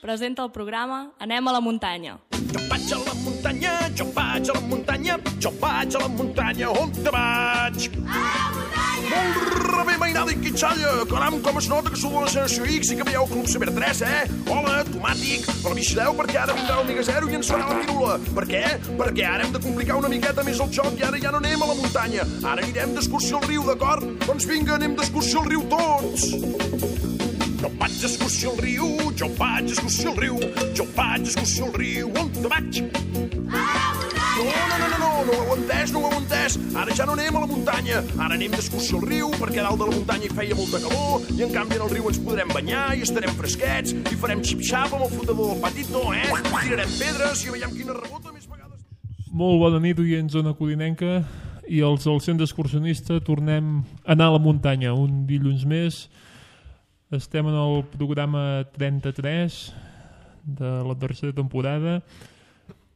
presenta el programa Anem a la muntanya. Jo vaig a la muntanya, jo vaig a la muntanya, jo vaig a la muntanya, on te vaig? A la muntanya! Molt bé, mainada i quitxalla, caram, com es nota que sou de la Generació X i que veieu Club Saber 3, Hola, tomàtic, però vigileu perquè ara vindrà el Miga Zero i ens farà la pirula. Per què? Perquè ara hem de complicar una miqueta més el joc i ara ja no anem a la muntanya. Ara anirem d'excursió al riu, d'acord? Doncs vinga, anem d'excursió al riu tots! Jo vaig d'excursió al riu, jo vaig d'excursió al riu, jo vaig d'excursió al riu, on te vaig? A la muntanya! No ho heu entès, ara ja no anem a la muntanya, ara anem d'excursió al riu perquè a dalt de la muntanya hi feia molta calor i en canvi en el riu ens podrem banyar i estarem fresquets i farem xip-xap amb el flotador del patito, Tirarem pedres i veiem quina rebota més vegades. Molt bona nit, oients zona codinenca i els del centre excursionista. Tornem a anar a la muntanya un dilluns més. Estem en el programa 33 de la tercera temporada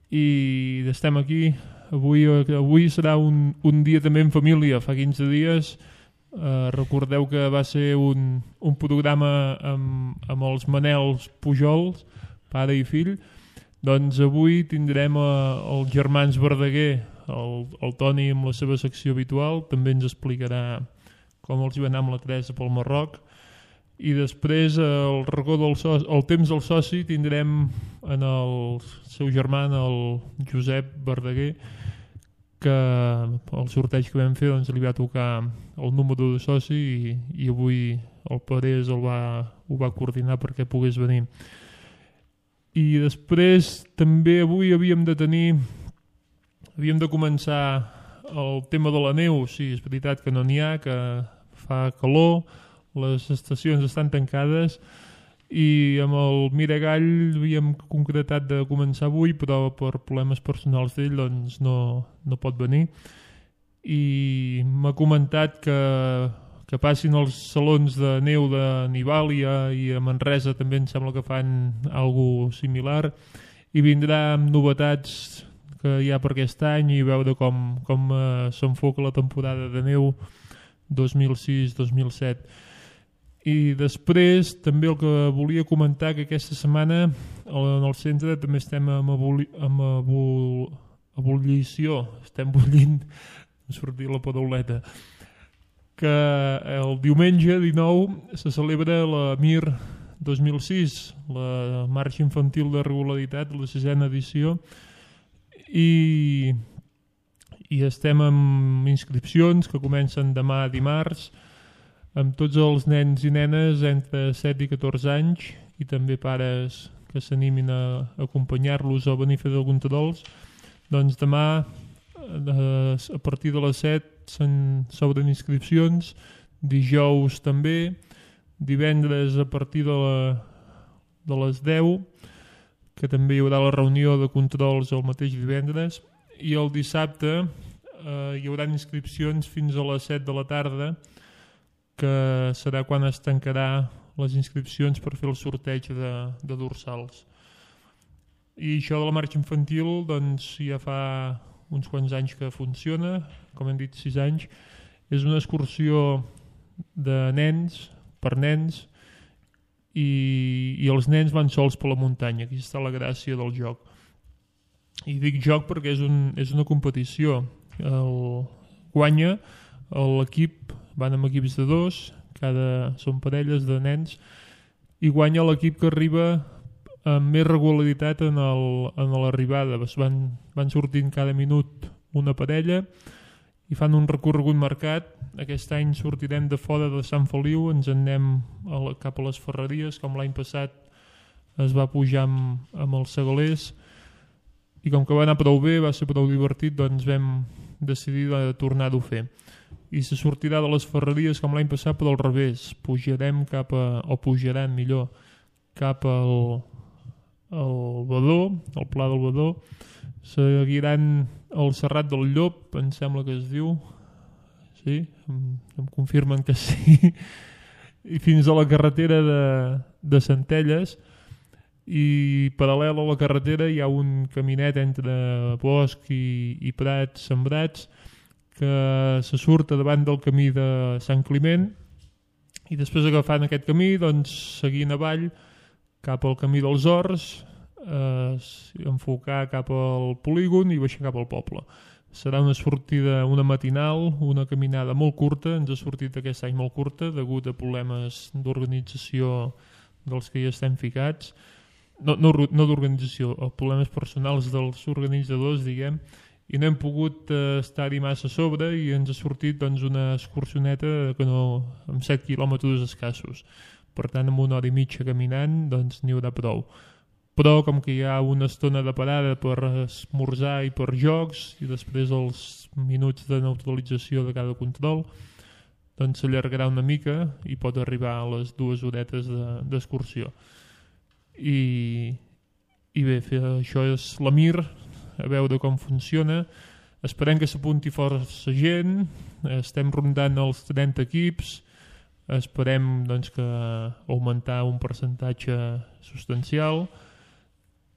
i estem aquí. Avui serà un dia també en família. Fa 15 dies recordeu que va ser un programa amb els Manels Pujols, pare i fill. Doncs avui tindrem els germans Verdaguer, el Toni amb la seva secció habitual, també ens explicarà com els hi va anar amb la Teresa pel Marroc. I després el racó el temps del soci tindrem en el seu germà, el Josep Verdaguer, que el sorteig que vam fer doncs, li va tocar el número de soci i avui el Parés ho va coordinar perquè pogués venir. I després també avui havíem de començar el tema de la neu. Sí, és veritat que no n'hi ha, que fa calor, les estacions estan tancades i amb el Miragall havíem concretat de començar avui, però per problemes personals d'ell doncs no pot venir. I m'ha comentat que passin els salons de neu de Nivàlia i a Manresa també em sembla que fan alguna similar i vindrà amb novetats que hi ha per aquest any i veure com s'enfoca la temporada de neu 2006-2007. I després també el que volia comentar que aquesta setmana en el centre també estem amb ebullició, estem bullint, em sortia la parauleta, que el diumenge 19 se celebra la MIR 2006, la Marxa Infantil de Regularitat, la 6ª edició, i estem amb inscripcions que comencen demà dimarts, amb tots els nens i nenes entre 7 i 14 anys i també pares que s'animin a acompanyar-los o a venir a fer algun trols. Doncs demà a partir de les 7 s'obren inscripcions, dijous també, divendres a partir de les 10, que també hi haurà la reunió de controls el mateix divendres, i el dissabte hi haurà inscripcions fins a les 7 de la tarda, que serà quan es tancarà les inscripcions per fer el sorteig de dorsals. I això de la marxa infantil doncs, ja fa uns quants anys que funciona, com hem dit 6 anys. És una excursió de nens, per nens, i els nens van sols per la muntanya. Aquí està la gràcia del joc. I dic joc perquè és una competició. Guanya l'equip, van amb equips de 2, són parelles de nens, i guanya l'equip que arriba amb més regularitat en l'arribada. Van sortint cada minut una parella i fan un recorregut marcat. Aquest any sortirem de fora de Sant Feliu, ens en anem cap a les Ferreries, com l'any passat es va pujar amb els segalers, i com que va anar prou bé, va ser prou divertit, doncs vam decidir de tornar-ho a fer. I se sortirà de les Ferreries com l'any passat, però al revés. Pujarem pujaran millor cap al Badó, al Pla del Badó. Seguiran el Serrat del Llop, em sembla que es diu. Sí? Em confirmen que sí. I fins a la carretera de Centelles. I paral·lel a la carretera hi ha un caminet entre bosc i prats sembrats que se surt davant del camí de Sant Climent i després agafant aquest camí, doncs, seguint avall cap al camí dels Horts, enfocar cap al polígon i baixar cap al poble. Serà una sortida, una matinal, una caminada molt curta, ens ha sortit aquest any molt curta degut a problemes d'organització dels que hi estem ficats, no d'organització, problemes personals dels organitzadors, diguem, i no hem pogut estar-hi massa a sobre i ens ha sortit doncs, una excursioneta amb 7 quilòmetres escassos. Per tant, amb 1 hora i mitja caminant doncs, n'hi haurà prou. Però com que hi ha una estona de parada per esmorzar i per jocs i després els minuts de neutralització de cada control, doncs s'allargarà una mica i pot arribar a les 2 horetes d'excursió. I bé, això és la Mir, a veure com funciona. Esperem que s'apunti força gent, estem rondant els 30 equips, esperem doncs, que augmentar un percentatge substancial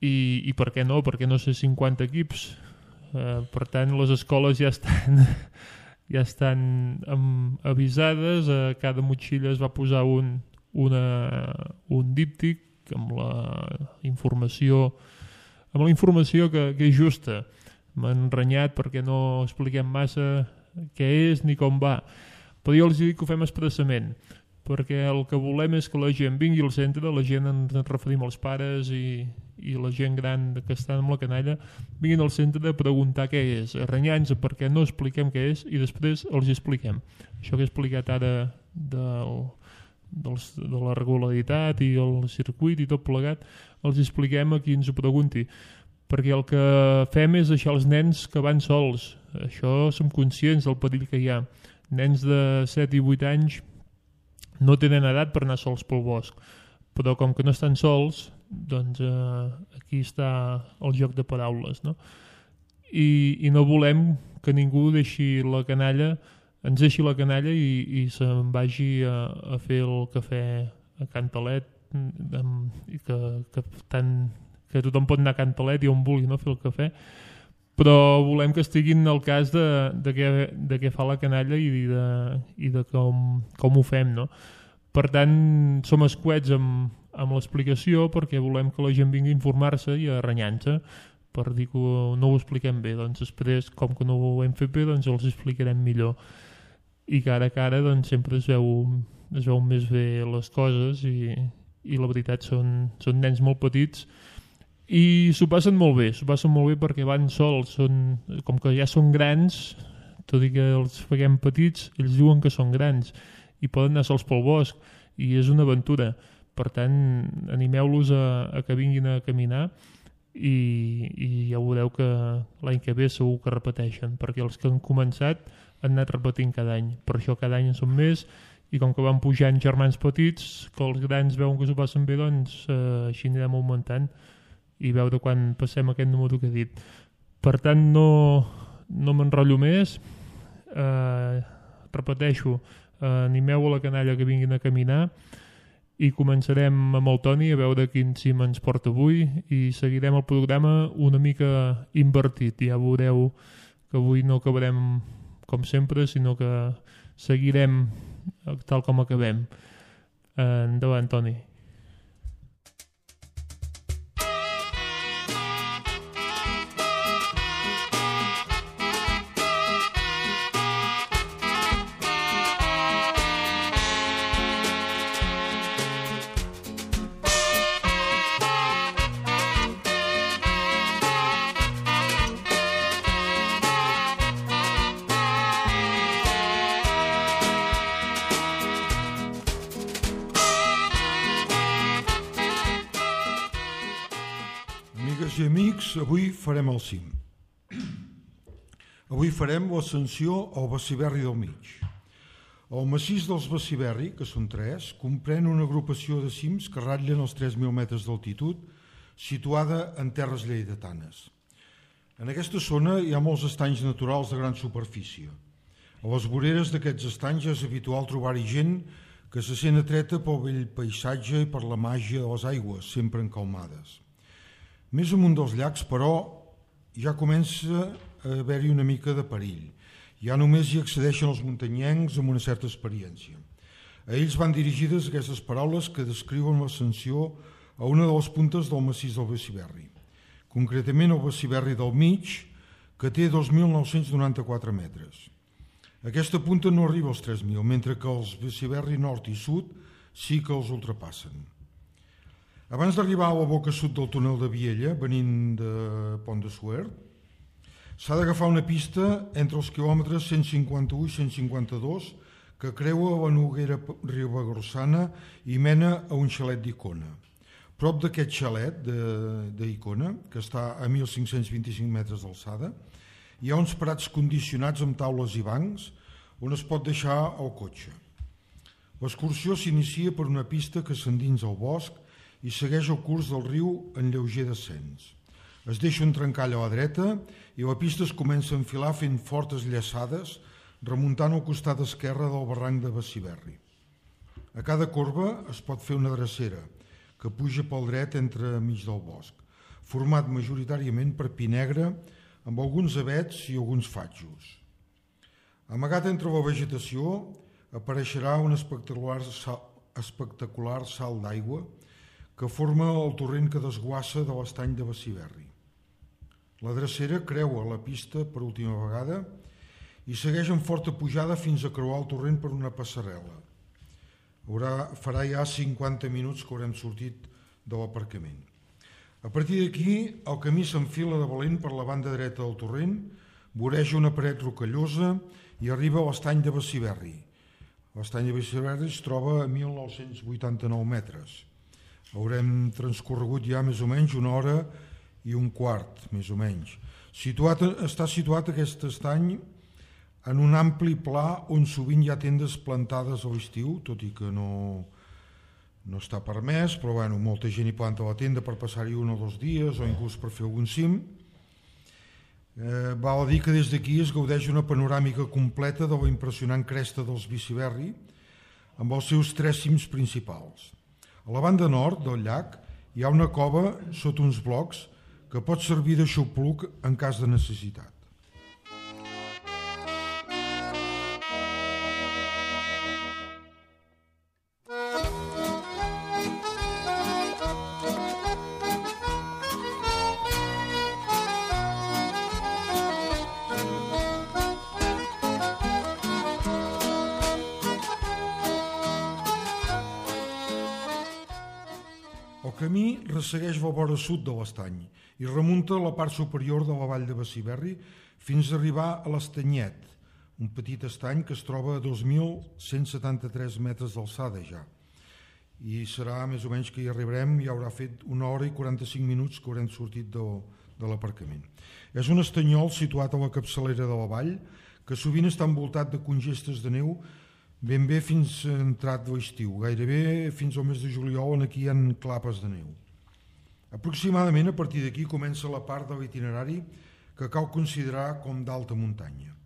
i per què no ser 50 equips. Per tant, les escoles ja estan avisades, a cada motxilla es va posar un díptic amb la informació que és justa. M'han renyat perquè no expliquem massa què és ni com va, però jo els dic que ho fem expressament, perquè el que volem és que la gent vingui al centre, la gent, ens referim als pares i la gent gran que està amb la canalla, vinguin al centre a preguntar què és, a renyar-nos perquè no expliquem què és i després els expliquem. Això que he explicat ara de la regularitat i el circuit i tot plegat, els expliquem a qui ens ho pregunti, perquè el que fem és deixar els nens que van sols. Això som conscients del perill que hi ha. Nens de 7 i 8 anys no tenen edat per anar sols pel bosc, però com que no estan sols, doncs aquí està el joc de paraules, no? I no volem que ningú deixi la canalla, ens deixi la canalla i se'n vagi a fer el cafè a Cantalet, que tothom pot anar a Cantalet i on vulgui, no, fer el cafè, però volem que estiguin al cas de què fa la canalla i de com ho fem, no? Per tant, som escuets amb l'explicació perquè volem que la gent vingui a informar-se i a renyar-se per dir que no ho expliquem bé. Doncs després, com que no ho hem fet bé, doncs els explicarem millor. I cara a cara doncs, sempre es veu més bé les coses i la veritat són nens molt petits i s'ho passen molt bé perquè van sols, com que ja són grans, tot i que els feguem petits, ells diuen que són grans i poden anar sols pel bosc i és una aventura. Per tant, animeu-los a que vinguin a caminar i ja veureu que l'any que ve segur que repeteixen, perquè els que han començat han anat repetint cada any. Per això cada any en són més i com que van pujant germans petits, que els grans veuen que s'ho passen bé, doncs així anirem augmentant i veure quan passem aquest número que he dit. Per tant, no m'enrotllo més. Repeteixo, animeu a la canalla que vinguin a caminar i començarem amb el Toni a veure quin cim ens porta avui i seguirem el programa una mica invertit. Ja veureu que avui no acabarem com sempre, sinó que seguirem tal com acabem. Endavant, Toni. I amics, avui farem el cim. Avui farem l'ascensió al Beciberri del Mig. El massís dels Beciberri, que són 3, comprèn una agrupació de cims que ratllen els 3.000 metres d'altitud, situada en terres lleidatanes. En aquesta zona hi ha molts estanys naturals de gran superfície. A les voreres d'aquests estanys és habitual trobar-hi gent que se sent atreta pel bell paisatge i per la màgia de les aigües, sempre encalmades. Més amunt dels llacs, però, ja comença a haver-hi una mica de perill. Ja només hi accedeixen els muntanyencs amb una certa experiència. A ells van dirigides aquestes paraules que descriuen l'ascensió a una de les puntes del massís del Bessiberri, concretament el Bessiberri del mig, que té 2.994 metres. Aquesta punta no arriba als 3.000, mentre que els Bessiberri nord i sud sí que els ultrapassen. Abans d'arribar a la boca sud del túnel de Viella, venint de Pont de Suert, s'ha d'agafar una pista entre els quilòmetres 151 i 152 que creua la Noguera Ribagorçana i mena a un xalet d'Icona. Prop d'aquest xalet d'Icona, que està a 1.525 metres d'alçada, hi ha uns prats condicionats amb taules i bancs on es pot deixar el cotxe. L'excursió s'inicia per una pista que s'endins al bosc i segueix el curs del riu en lleuger descens. Es deixa un trencall a la dreta i la pista es comença a enfilar fent fortes llaçades, remuntant al costat esquerre del barranc de Bessiberri. A cada corba es pot fer una drecera, que puja pel dret entremig del bosc, format majoritàriament per pi negre, amb alguns avets i alguns fatjos. Amagat entre la vegetació apareixerà un espectacular salt d'aigua que forma el torrent que desguassa de l'estany de Bessiberri. La drecera creua la pista per última vegada i segueix en forta pujada fins a creuar el torrent per una passarel·la. Farà ja 50 minuts que haurem sortit de l'aparcament. A partir d'aquí, el camí s'enfila de valent per la banda dreta del torrent, voreja una paret rocallosa i arriba a l'estany de Bessiberri. L'estany de Bessiberri es troba a 1.989 metres. Haurem transcorregut ja més o menys una hora i un quart, més o menys. Està situat aquest estany en un ampli pla on sovint hi ha tendes plantades a l'estiu, tot i que no està permès, però bueno, molta gent hi planta la tenda per passar-hi 1 o 2 dies o inclús per fer algun cim. Val a dir que des d'aquí es gaudeix una panoràmica completa de la impressionant cresta dels Bessiberri amb els seus 3 cims principals. A la banda nord del llac hi ha una cova sota uns blocs que pot servir de xupluc en cas de necessitat. El camí ressegueix la vora sud de l'estany i remunta la part superior de la vall de Bessiberri fins a arribar a l'Estanyet, un petit estany que es troba a 2.173 metres d'alçada ja. I serà més o menys que hi arribarem, ja haurà fet 1 hora i 45 minuts que haurem sortit de l'aparcament. És un estanyol situat a la capçalera de la vall que sovint està envoltat de congestes de neu ben bé fins a entrat l'estiu, gairebé fins al mes de juliol on aquí hi ha clapes de neu. Aproximadament a partir d'aquí comença la part de l'itinerari que cal considerar com d'alta muntanya.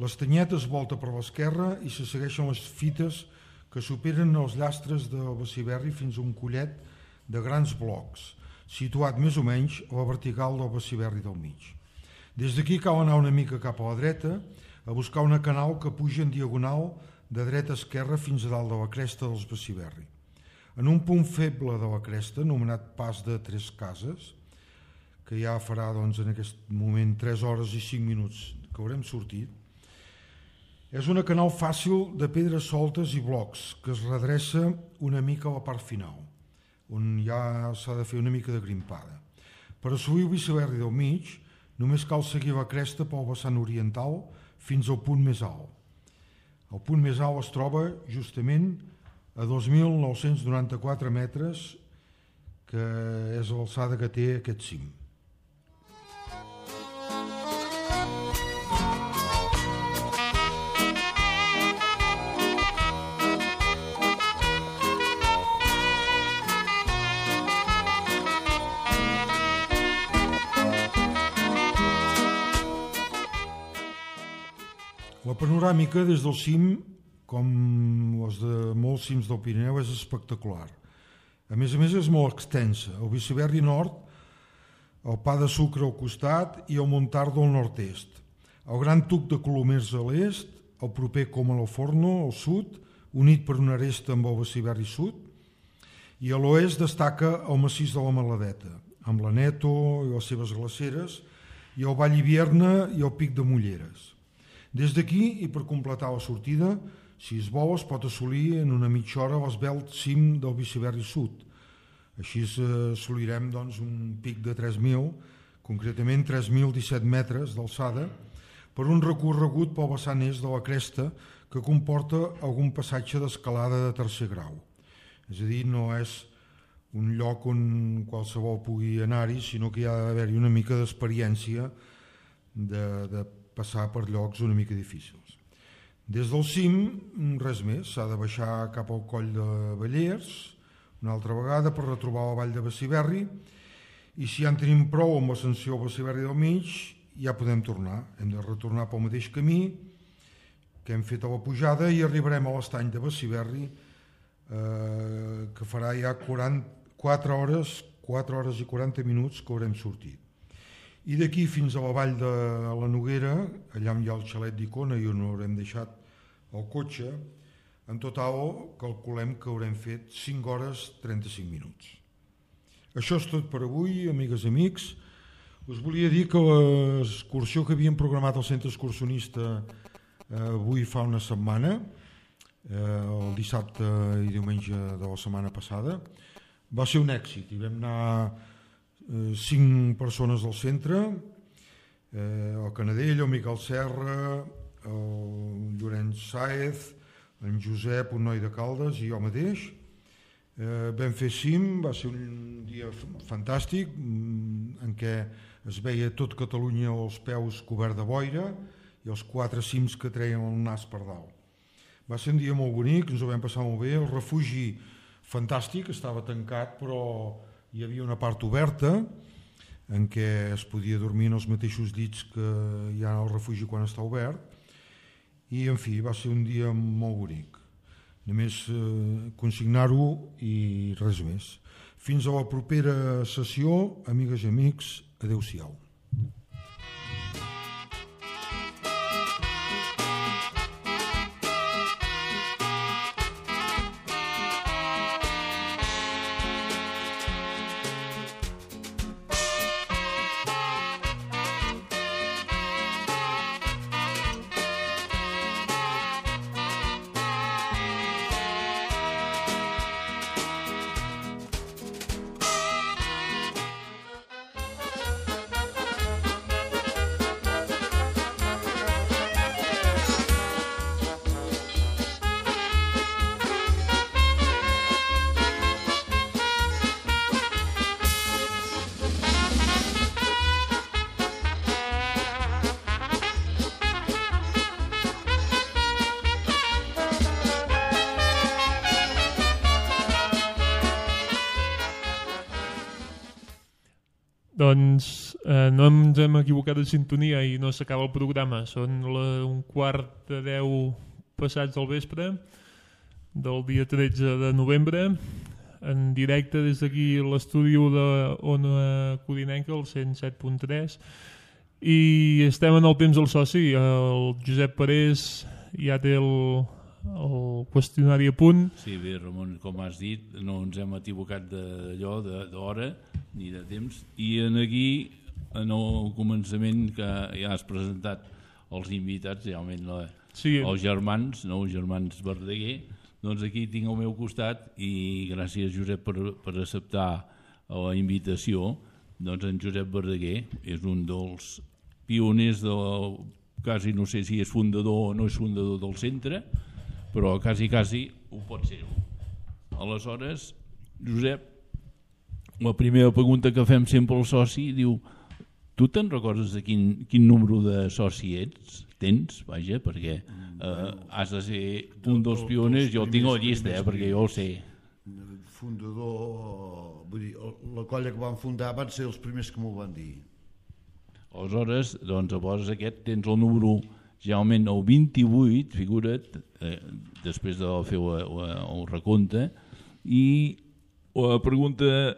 L'Estanyet es volta per l'esquerra i se segueixen les fites que superen els llastres de Bessiberri fins a un collet de grans blocs, situat més o menys a la vertical del Bessiberri del mig. Des d'aquí cal anar una mica cap a la dreta a buscar una canal que puja en diagonal de dreta a esquerra fins a dalt de la cresta dels Bessiberri. En un punt feble de la cresta, anomenat Pas de 3 Cases, que ja farà en aquest moment 3 hores i 5 minuts que haurem sortit, és una canal fàcil de pedres soltes i blocs que es redreça una mica a la part final, on ja s'ha de fer una mica de grimpada. Per assolir el Bessiberri del mig, només cal seguir la cresta pel vessant oriental fins al punt més alt. El punt més alt es troba justament a 2.994 metres, que és l'alçada que té aquest cim. La panoràmica des del cim, com les de molts cims del Pirineu, és espectacular. A més és molt extensa. El Bessiberri nord, el Pa de Sucre al costat i el Montardo al nord-est. El Gran Tuc de Colomers a l'est, el proper Comalforno al sud, unit per una aresta amb el Bessiberri sud, I a l'oest destaca el massís de la Maladeta, amb l'Aneto i les seves glaceres, i el Vall Hivierna i el Pic de Mulleres. Des d'aquí, i per completar la sortida, si es vol, es pot assolir en una mitja hora l'esvelt cim del Biciberri Sud. Així assolirem un pic de 3.000, concretament 3.017 metres d'alçada, per un recorregut pel vessant est de la cresta que comporta algun passatge d'escalada de tercer grau. És a dir, no és un lloc on qualsevol pugui anar-hi, sinó que hi ha d'haver-hi una mica d'experiència de passar per llocs una mica difícils. Des del cim, res més, s'ha de baixar cap al coll de Vallers, una altra vegada per retrobar la vall de Beciberri, i si ja en tenim prou amb l'ascensió al Beciberri del Mig, ja podem tornar. Hem de retornar pel mateix camí que hem fet a la pujada i arribarem a l'estany de Beciberri, que farà ja 4 hores i 40 minuts que haurem sortit. I d'aquí fins a la vall de la Noguera, allà on hi ha el xalet d'Icona i on haurem deixat el cotxe, en total calculem que haurem fet 5 hores 35 minuts. Això és tot per avui, amigues i amics. Us volia dir que l'excursió que havíem programat al centre excursionista avui fa una setmana, el dissabte i diumenge de la setmana passada, va ser un èxit. Hi vam anar 5 persones del centre, el Canadell, el Miquel Serra, el Llorenç Sáez, en Josep, un noi de Caldes, i jo mateix. Vam fer cim, va ser un dia fantàstic, en què es veia tot Catalunya als peus cobert de boira i els 4 cims que treien el nas per dalt. Va ser un dia molt bonic, ens ho vam passar molt bé, el refugi fantàstic, estava tancat, però hi havia una part oberta en què es podia dormir en els mateixos llits que hi ha al refugi quan està obert, i en fi, va ser un dia molt bonic. Només consignar-ho i res més. Fins a la propera sessió, amigues i amics, adeu-siau. Doncs no ens hem equivocat de sintonia i no s'acaba el programa. Són 9:45 passats del vespre del dia 13 de novembre, en directe des d'aquí a l'estudi d'Ona Codinenca, el 107.3, i estem en el temps del soci. El Josep Parés ja té el qüestionari a punt. Sí, bé, Ramon, com has dit, no ens hem equivocat d'hora ni de temps, i aquí, en el començament que ja has presentat els invitats, realment els germans, no, els germans Verdaguer, doncs aquí tinc al meu costat, i gràcies, Josep, per acceptar la invitació. Doncs en Josep Verdaguer és un dels pioners quasi no sé si és fundador o no és fundador del centre, però quasi ho pot ser. Aleshores, Josep, la primera pregunta que fem sempre al soci diu: tu te'n recordes de quin número de soci tens? Vaja, perquè has de ser un dels pioners. Jo tinc la llista, perquè jo ho sé. Fundador, vull dir, la colla que van fundar van ser els primers que m'ho van dir. Aleshores, doncs, aquest tens el número, generalment el 28, figura't, després de fer el recompte, i la pregunta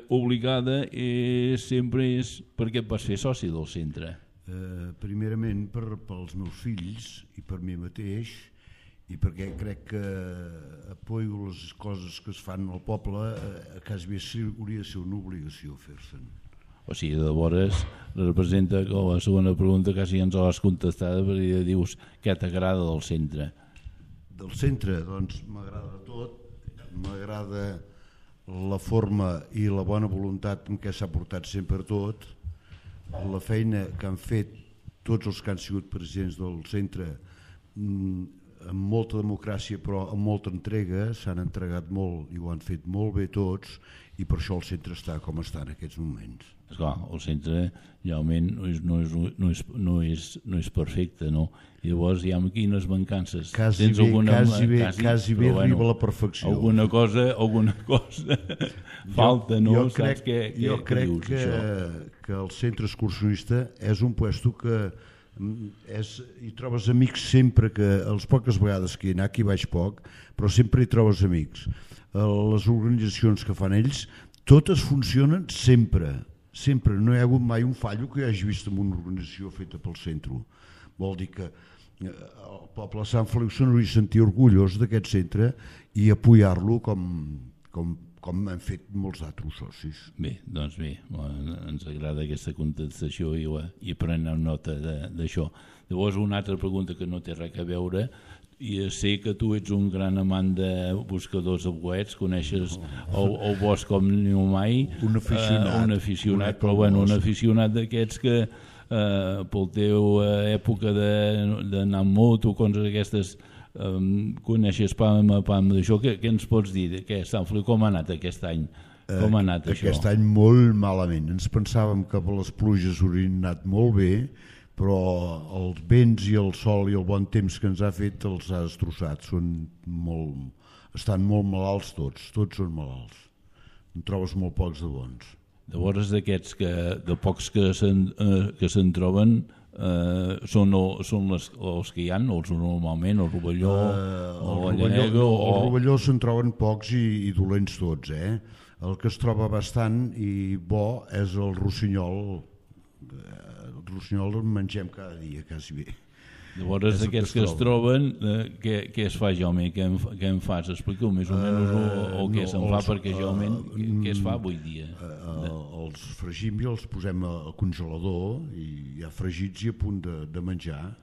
obligada sempre és: per què et vas fer soci del centre? Primerament pels meus fills i per mi mateix, i perquè crec que apoyo les coses que es fan al poble, quasi bé hauria de ser una obligació fer-se'n. O sigui, de vores representa que la segona pregunta quasi ens l'has contestada, perquè dius què t'agrada del centre. Del centre, doncs m'agrada tot, m'agrada la forma i la bona voluntat amb què s'ha portat sempre tot, la feina que han fet tots els que han sigut presidents del centre, amb molta democràcia però amb molta entrega, s'han entregat molt i ho han fet molt bé tots, i per això el centre està com està en aquests moments. Esclar, el centre realment no és perfecte, no? I llavors hi ha quines mancances. Quasi bé arriba a la perfecció. Alguna cosa falta, no? Jo crec que el centre excursionista és un puesto que hi trobes amics sempre, que les poques vegades que hi ha, aquí vaig poc, però sempre hi trobes amics. Les organitzacions que fan ells, totes funcionen sempre, no hi ha hagut mai un fallo que hi hagi vist en una organització feta pel centre. Vol dir que el poble de Sant Feliu se n'hauria de sentir orgullós d'aquest centre i apoyar-lo com han fet molts altres socis. Bé, doncs bé, ens agrada aquesta contestació i prenem nota d'això. Llavors, una altra pregunta que no té res a veure, i sé que tu ets un gran amant de buscadors de bolets, coneixes el bosc com ningú mai, un aficionat, però bueno, un aficionat d'aquests que pel teu època d'anar amb moto, coses aquestes, coneixes pam a pam d'això. Què ens pots dir? Sant Feliu, com ha anat aquest any? Com ha anat això? Aquest any molt malament. Ens pensàvem que les pluges haurien anat molt bé, però els vents i el sol i el bon temps que ens ha fet els ha destrossat. Estan molt malalts tots són malalts. En trobes molt pocs de bons. Llavors, d'aquests de pocs que se'n troben, són els que hi ha, els normalment, el rovelló, el rovelló se'n troben pocs i dolents tots. El que es troba bastant i bo és el rossinyol. El rossinyol el mengem cada dia, quasi bé. Llavors, d'aquests que es troben, què es fa, Jaume? Què en fas? Explica-ho més o menys o què se'n fa, perquè realment què es fa avui dia? Els fregim i els posem al congelador i ja fregits i a punt de menjar.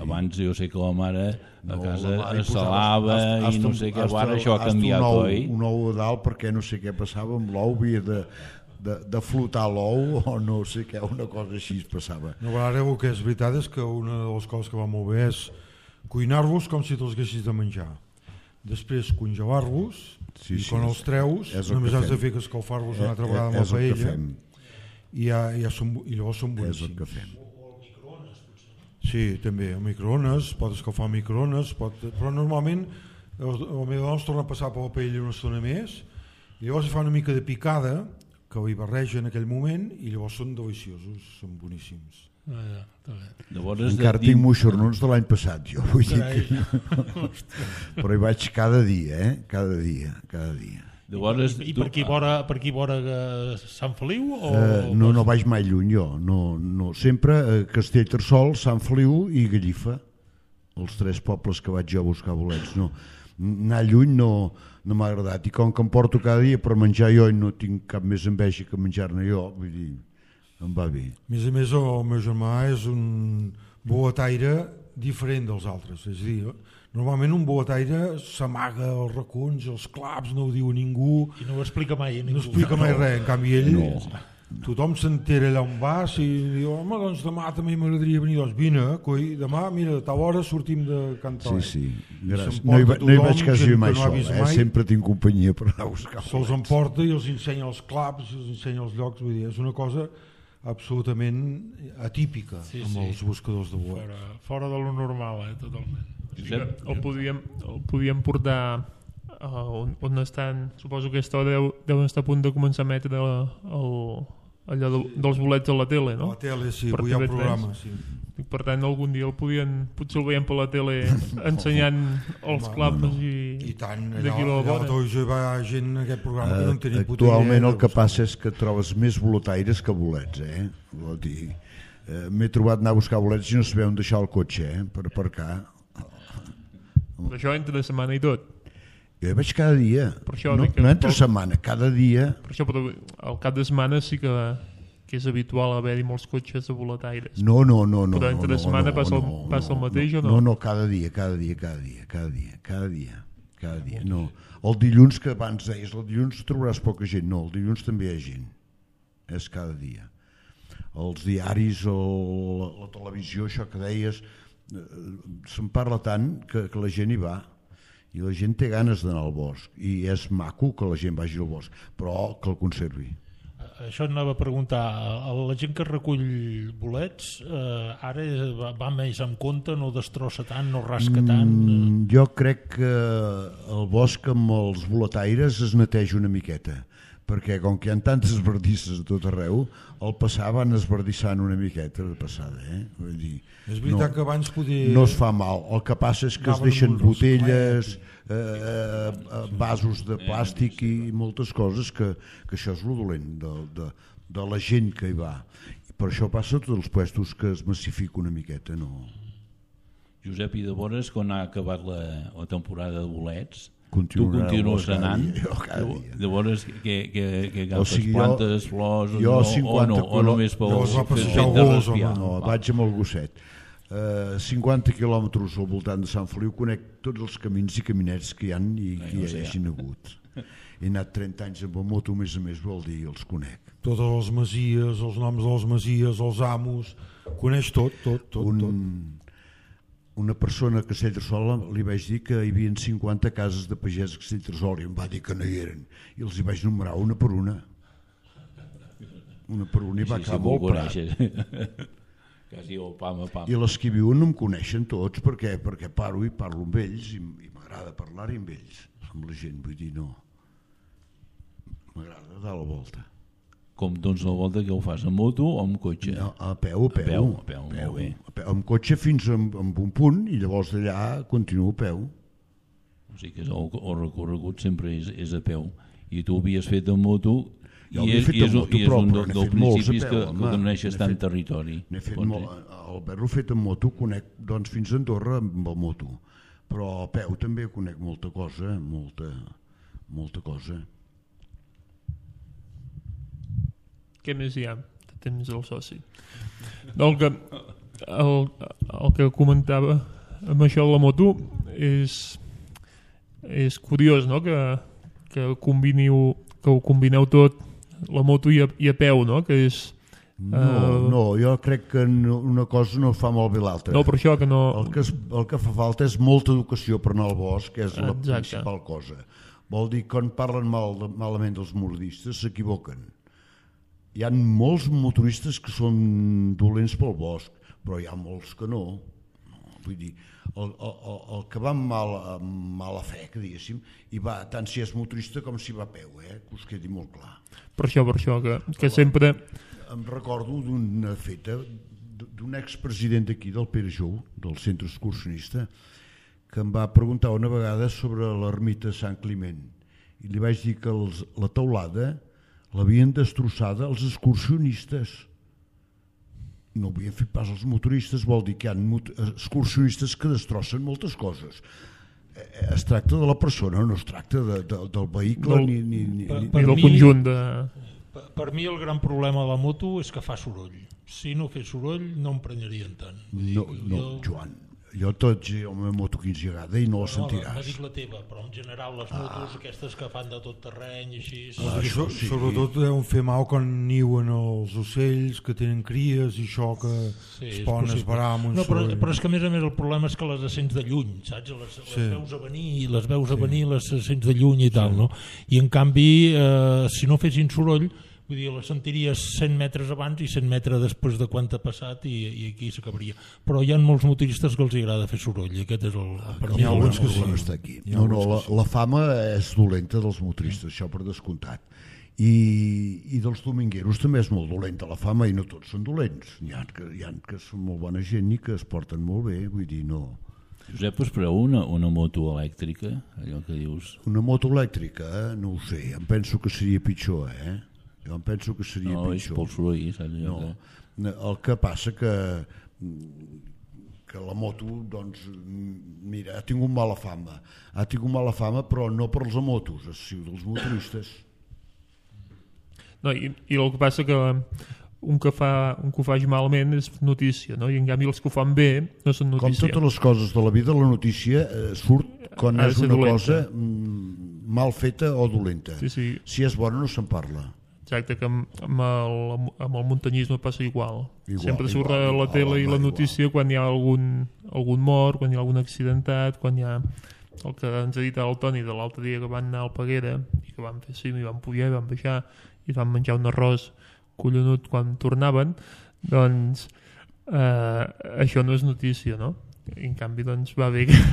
Abans jo sé que la mare a casa salava i no sé què, ara això ha canviat, oi? Un ou a dalt perquè no sé què passava amb l'ou, havia de flotar l'ou o no sé què, una cosa així es passava. No, ara el que és veritat és que una de les coses que va molt bé és cuinar-los com si te'ls haguessis de menjar. Després congelar-los i quan els treus només has de fer que escalfar-los una altra vegada amb la paella i llavors són boníssims. És el que fem. Sí, també, el microones, pot escalfar el microones, però normalment el meu dona es torna a passar per la paella una estona més i llavors fa una mica de picada que hi barreja en aquell moment i llavors són deliciosos, són boníssims. Encara tinc moixernons de l'any passat, jo vull dir que... Però hi vaig cada dia, cada dia. I per aquí vora Sant Feliu? No vaig mai lluny jo, no. Sempre a Castellterçol, Sant Feliu i Gallifa, els 3 pobles que vaig jo a buscar bolets. No, anar lluny no m'ha agradat, i com que em porto cada dia per menjar jo i no tinc cap més enveja que menjar-ne jo, vull dir, em va bé. A més, el meu germà és un boletaire diferent dels altres, és a dir, normalment un boletaire s'amaga als racons, als claps, no ho diu a ningú. I no ho explica mai a ningú. No explica mai res, en canvi ell... Tothom s'entera allà on vas i diu, home, doncs demà també m'agradaria venir, doncs vine, coi, demà, mira, a tal hora sortim de cantar. Sí, gràcies. No hi vaig quasi mai sol, sempre tinc companyia per anar a buscar. Se'ls emporta i els ensenya els claps, els ensenya els llocs, vull dir, és una cosa absolutament atípica amb els buscadors de bolets. Fora de lo normal, totalment. El podíem portar on estan, suposo que aquesta deuen estar a punt de començar a emetre allò dels bolets a la tele, no? A la tele, sí, avui hi ha un programa, sí. Per tant, algun dia potser el veiem per la tele ensenyant els claps i tant, allà a la televisió hi va gent en aquest programa que no en tenia puta idea. Actualment el que passa és que trobes més boletaires que bolets, vol dir, m'he trobat anar a buscar bolets i no sabia on deixar el cotxe per aparcar. Però això entre setmana i tot. Jo hi vaig cada dia, això no entre setmana, cada dia. Per això, però al cap de setmana sí que és habitual haver-hi molts cotxes de boletaires. No. Però entre setmana passa el mateix o no? No, cada dia. No. El dilluns, que abans deies, el dilluns trobaràs poca gent. No, el dilluns també hi ha gent. És cada dia. Els diaris o la televisió, això que deies, se'n parla tant que la gent hi va. I la gent té ganes d'anar al bosc. I és maco que la gent vagi al bosc, però que el conservi. Això anava a preguntar, la gent que recull bolets ara va més en compte, no destrossa tant, no rasca tant? Jo crec que el bosc amb els boletaires es neteja una miqueta, perquè com que hi ha tantes esbardisses a tot arreu, al passar van esbardissant una miqueta de passada. Vull dir, és veritat que abans no es fa mal, el que passa és que es deixen botelles, vasos de plàstic i moltes coses, que això és lo dolent de la gent que hi va. I per això passa a tots els puestos, que es massifica una miqueta. Josep, i de vores, quan ha acabat la temporada de bolets, tu continues anant? De vores que agafes plantes, flors o només pel fet de respirar? No, vaig amb el gosset. 50 quilòmetres al voltant de Sant Feliu, conec tots els camins i caminets que hi ha i que hi hagin hagut. He anat 30 anys amb la moto, a més, vol dir, els conec. Totes les masies, els noms de les masies, els amos, coneix tot. Una persona a Castellterçol li vaig dir que hi havia 50 cases de pagès a Castellterçol i em va dir que no hi eren. I els hi vaig numerar una per una. Una per una i va acabar molt prat. Quasi el pam a pam. I les que viuen no em coneixen tots perquè paro i parlo amb ells i m'agrada parlar-hi amb ells, amb la gent, vull dir, no. M'agrada dar la volta. Com doncs la volta que ho fas, amb moto o amb cotxe? No, a peu. Molt bé. Amb cotxe fins amb un punt i llavors d'allà continuo a peu. O sigui que el recorregut sempre és a peu. I tu havies fet amb moto i és un dels principis que coneixes tant territori. Haver-ho fet amb moto conec fins a Andorra amb el moto, però a peu també conec molta cosa, molta cosa. Què més hi ha de temps del soci? El que comentava amb això de la moto és curiós, no? Que ho combineu tot, la moto i a peu, no? Que és, no, jo crec que una cosa no fa molt bé l'altra. No, per això que no... El que fa falta és molta educació per anar al bosc, que és la principal cosa. Vol dir que quan parlen malament dels motoristes s'equivoquen. Hi ha molts motoristes que són dolents pel bosc, però hi ha molts que no. Vull dir, el que va amb mala fe, que diguéssim, i va tant si és motorista com si va a peu, que us quedi molt clar. Per això, que sempre... Em recordo d'una feta d'un expresident d'aquí, del Pere Jou, del centre excursionista, que em va preguntar una vegada sobre l'ermita de Sant Climent. I li vaig dir que la teulada l'havien destrossada els excursionistes. No havien fet pas els motoristes, vol dir que hi ha excursionistes que destrossen moltes coses. Es tracta de la persona, no es tracta del vehicle ni del conjunt de... Per mi el gran problema de la moto és que fa soroll. Si no fes soroll no em prenyarien tant. No, Joan, jo la meva moto 15 vegades i no la sentiràs. No dic la teva, però en general les motos aquestes que fan de tot terreny i així... Sobretot deuen fer mal quan niuen els ocells que tenen cries i això que es poden esbarar amb un soroll. Però és que a més el problema és que les sents de lluny, saps? Les veus a venir, les sents de lluny i tal, no? I en canvi, si no fessin soroll, vull dir, la sentiries 100 metres abans i 100 metres després de quan t'ha passat i aquí s'acabaria. Però hi ha molts motoristes que els agrada fer soroll i aquest és N'hi ha alguns que sí. La fama és dolenta dels motoristes, això per descomptat. I dels domingueros també és molt dolenta la fama i no tots són dolents. Hi ha que són molt bona gent i que es porten molt bé, vull dir, no... Josep, us preu una moto elèctrica, allò que dius? Una moto elèctrica? No ho sé, em penso que seria pitjor, Jo em penso que seria pitjor. No, és pel soroll, saps? No. El que passa que que la moto, doncs, mira, ha tingut mala fama. Ha tingut mala fama, però no per els motos, sinó dels motoristes. No, i el que passa que un que ho faci malament és notícia, no? I en canvi els que ho fan bé no són notícia. Com totes les coses de la vida, la notícia surt quan és una cosa mal feta o dolenta. Sí. Si és bona no se'n parla. Exacte, que amb el muntanyisme passa igual. Sempre surt a la tele i la notícia quan hi ha algun mort, quan hi ha algun accidentat, quan hi ha el que ens ha dit el Toni de l'altre dia que van anar al Peguera i que van fer cim i van pujar i van baixar i van menjar un arròs collonut quan tornaven, doncs això no és notícia, no? En canvi, doncs, va bé que es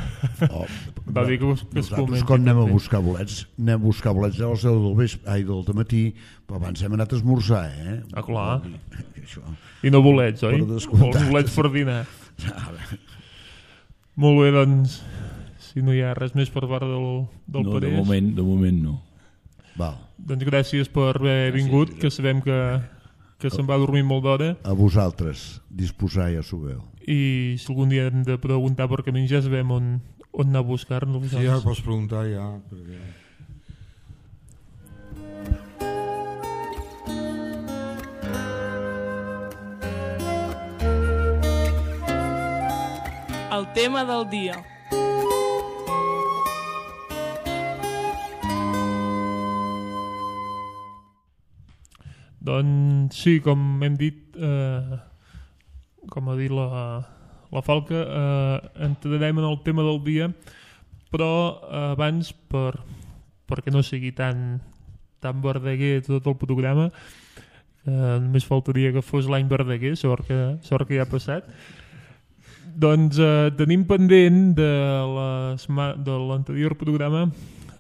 comenti. Nosaltres, quan anem a buscar bolets a les 10 del dematí, però abans hem anat a esmorzar, Ah, clar. I no bolets, oi? Els bolets per dinar. Molt bé, doncs, si no hi ha res més per part del Parés... No, de moment no. Val. Doncs gràcies per haver vingut, que sabem que se'n va dormir molt d'hora. A vosaltres, disposar, ja s'ho veu. I si algun dia hem de preguntar per camins ja sabem on anar a buscar-nos. Sí, ja pots preguntar ja. Perquè... El tema del dia. Doncs sí, com hem dit, com ha dit la Falca, entrarem en el tema del dia, però abans, perquè no sigui tan verdaguer tot el programa, només faltaria que fos l'any verdaguer, sort que ja ha passat, doncs tenim pendent de l'anterior programa.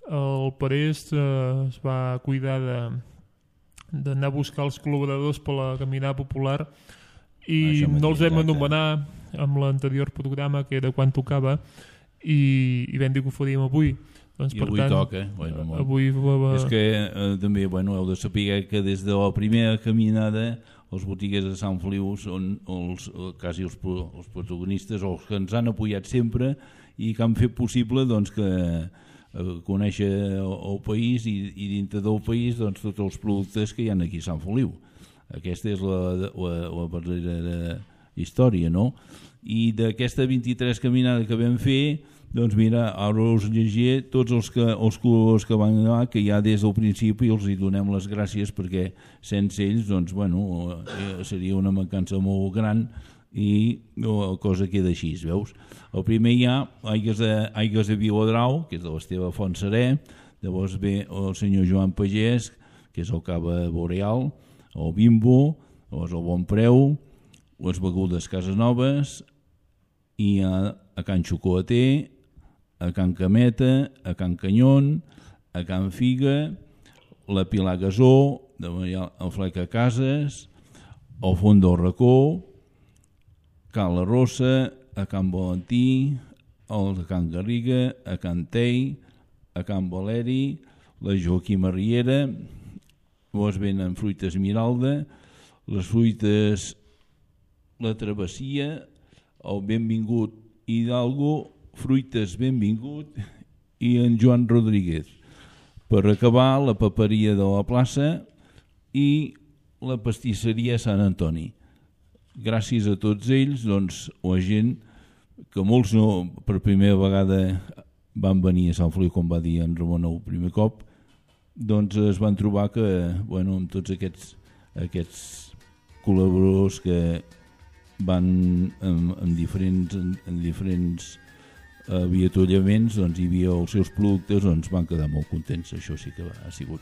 El Parés es va cuidar d'anar a buscar els col·laboradors per la caminada popular i no els vam anomenar amb l'anterior programa, que era quan tocava, i vam dir que ho faríem avui. Doncs, I avui toca. Avui és que també heu de saber que des de la primera caminada els botiguers de Sant Feliu són quasi els protagonistes, o els que ens han apoyat sempre i que han fet possible doncs, que conèixer el país i dintre del país doncs, tots els productes que hi ha aquí a Sant Feliu. Aquesta és la verdadera història, no? I d'aquesta 23 caminada que vam fer, doncs mira, ara us llegiré tots els col·laboradors que van anar, que ja des del principi els hi donem les gràcies, perquè sense ells doncs, seria una mancança molt gran i la cosa queda així, veus? El primer hi ha Aigües de Viladrau, que és de l'Esteve Fontserè, llavors ve el senyor Joan Pagès, que és el Cava Boreal, el Bimbo, llavors el Bon Preu, les begudes Casanovas, i a Can Xocolater, a Can Cameta, a Can Canyon, a Can Figa, la Pilar Gasó, el Fleca Cases, el Font del Racó, Can La Rossa, a Can Valentí, a Can Garriga, a Can Tei, a Can Valeri, la Joaquima Riera, llavors venen fruites Miralda, les fruites La Travessia, el Benvingut Hidalgo, fruites Benvingut i en Joan Rodríguez. Per acabar, la paperia de la plaça i la pastisseria Sant Antoni. Gràcies a tots ells, doncs, la gent, que molts no, per primera vegada van venir a Sant Feliu, com va dir en Ramon el primer cop, doncs es van trobar que, amb tots aquests col·laboradors que van en diferents avituallaments, doncs hi havia els seus productes, doncs van quedar molt contents. Això sí que ha sigut.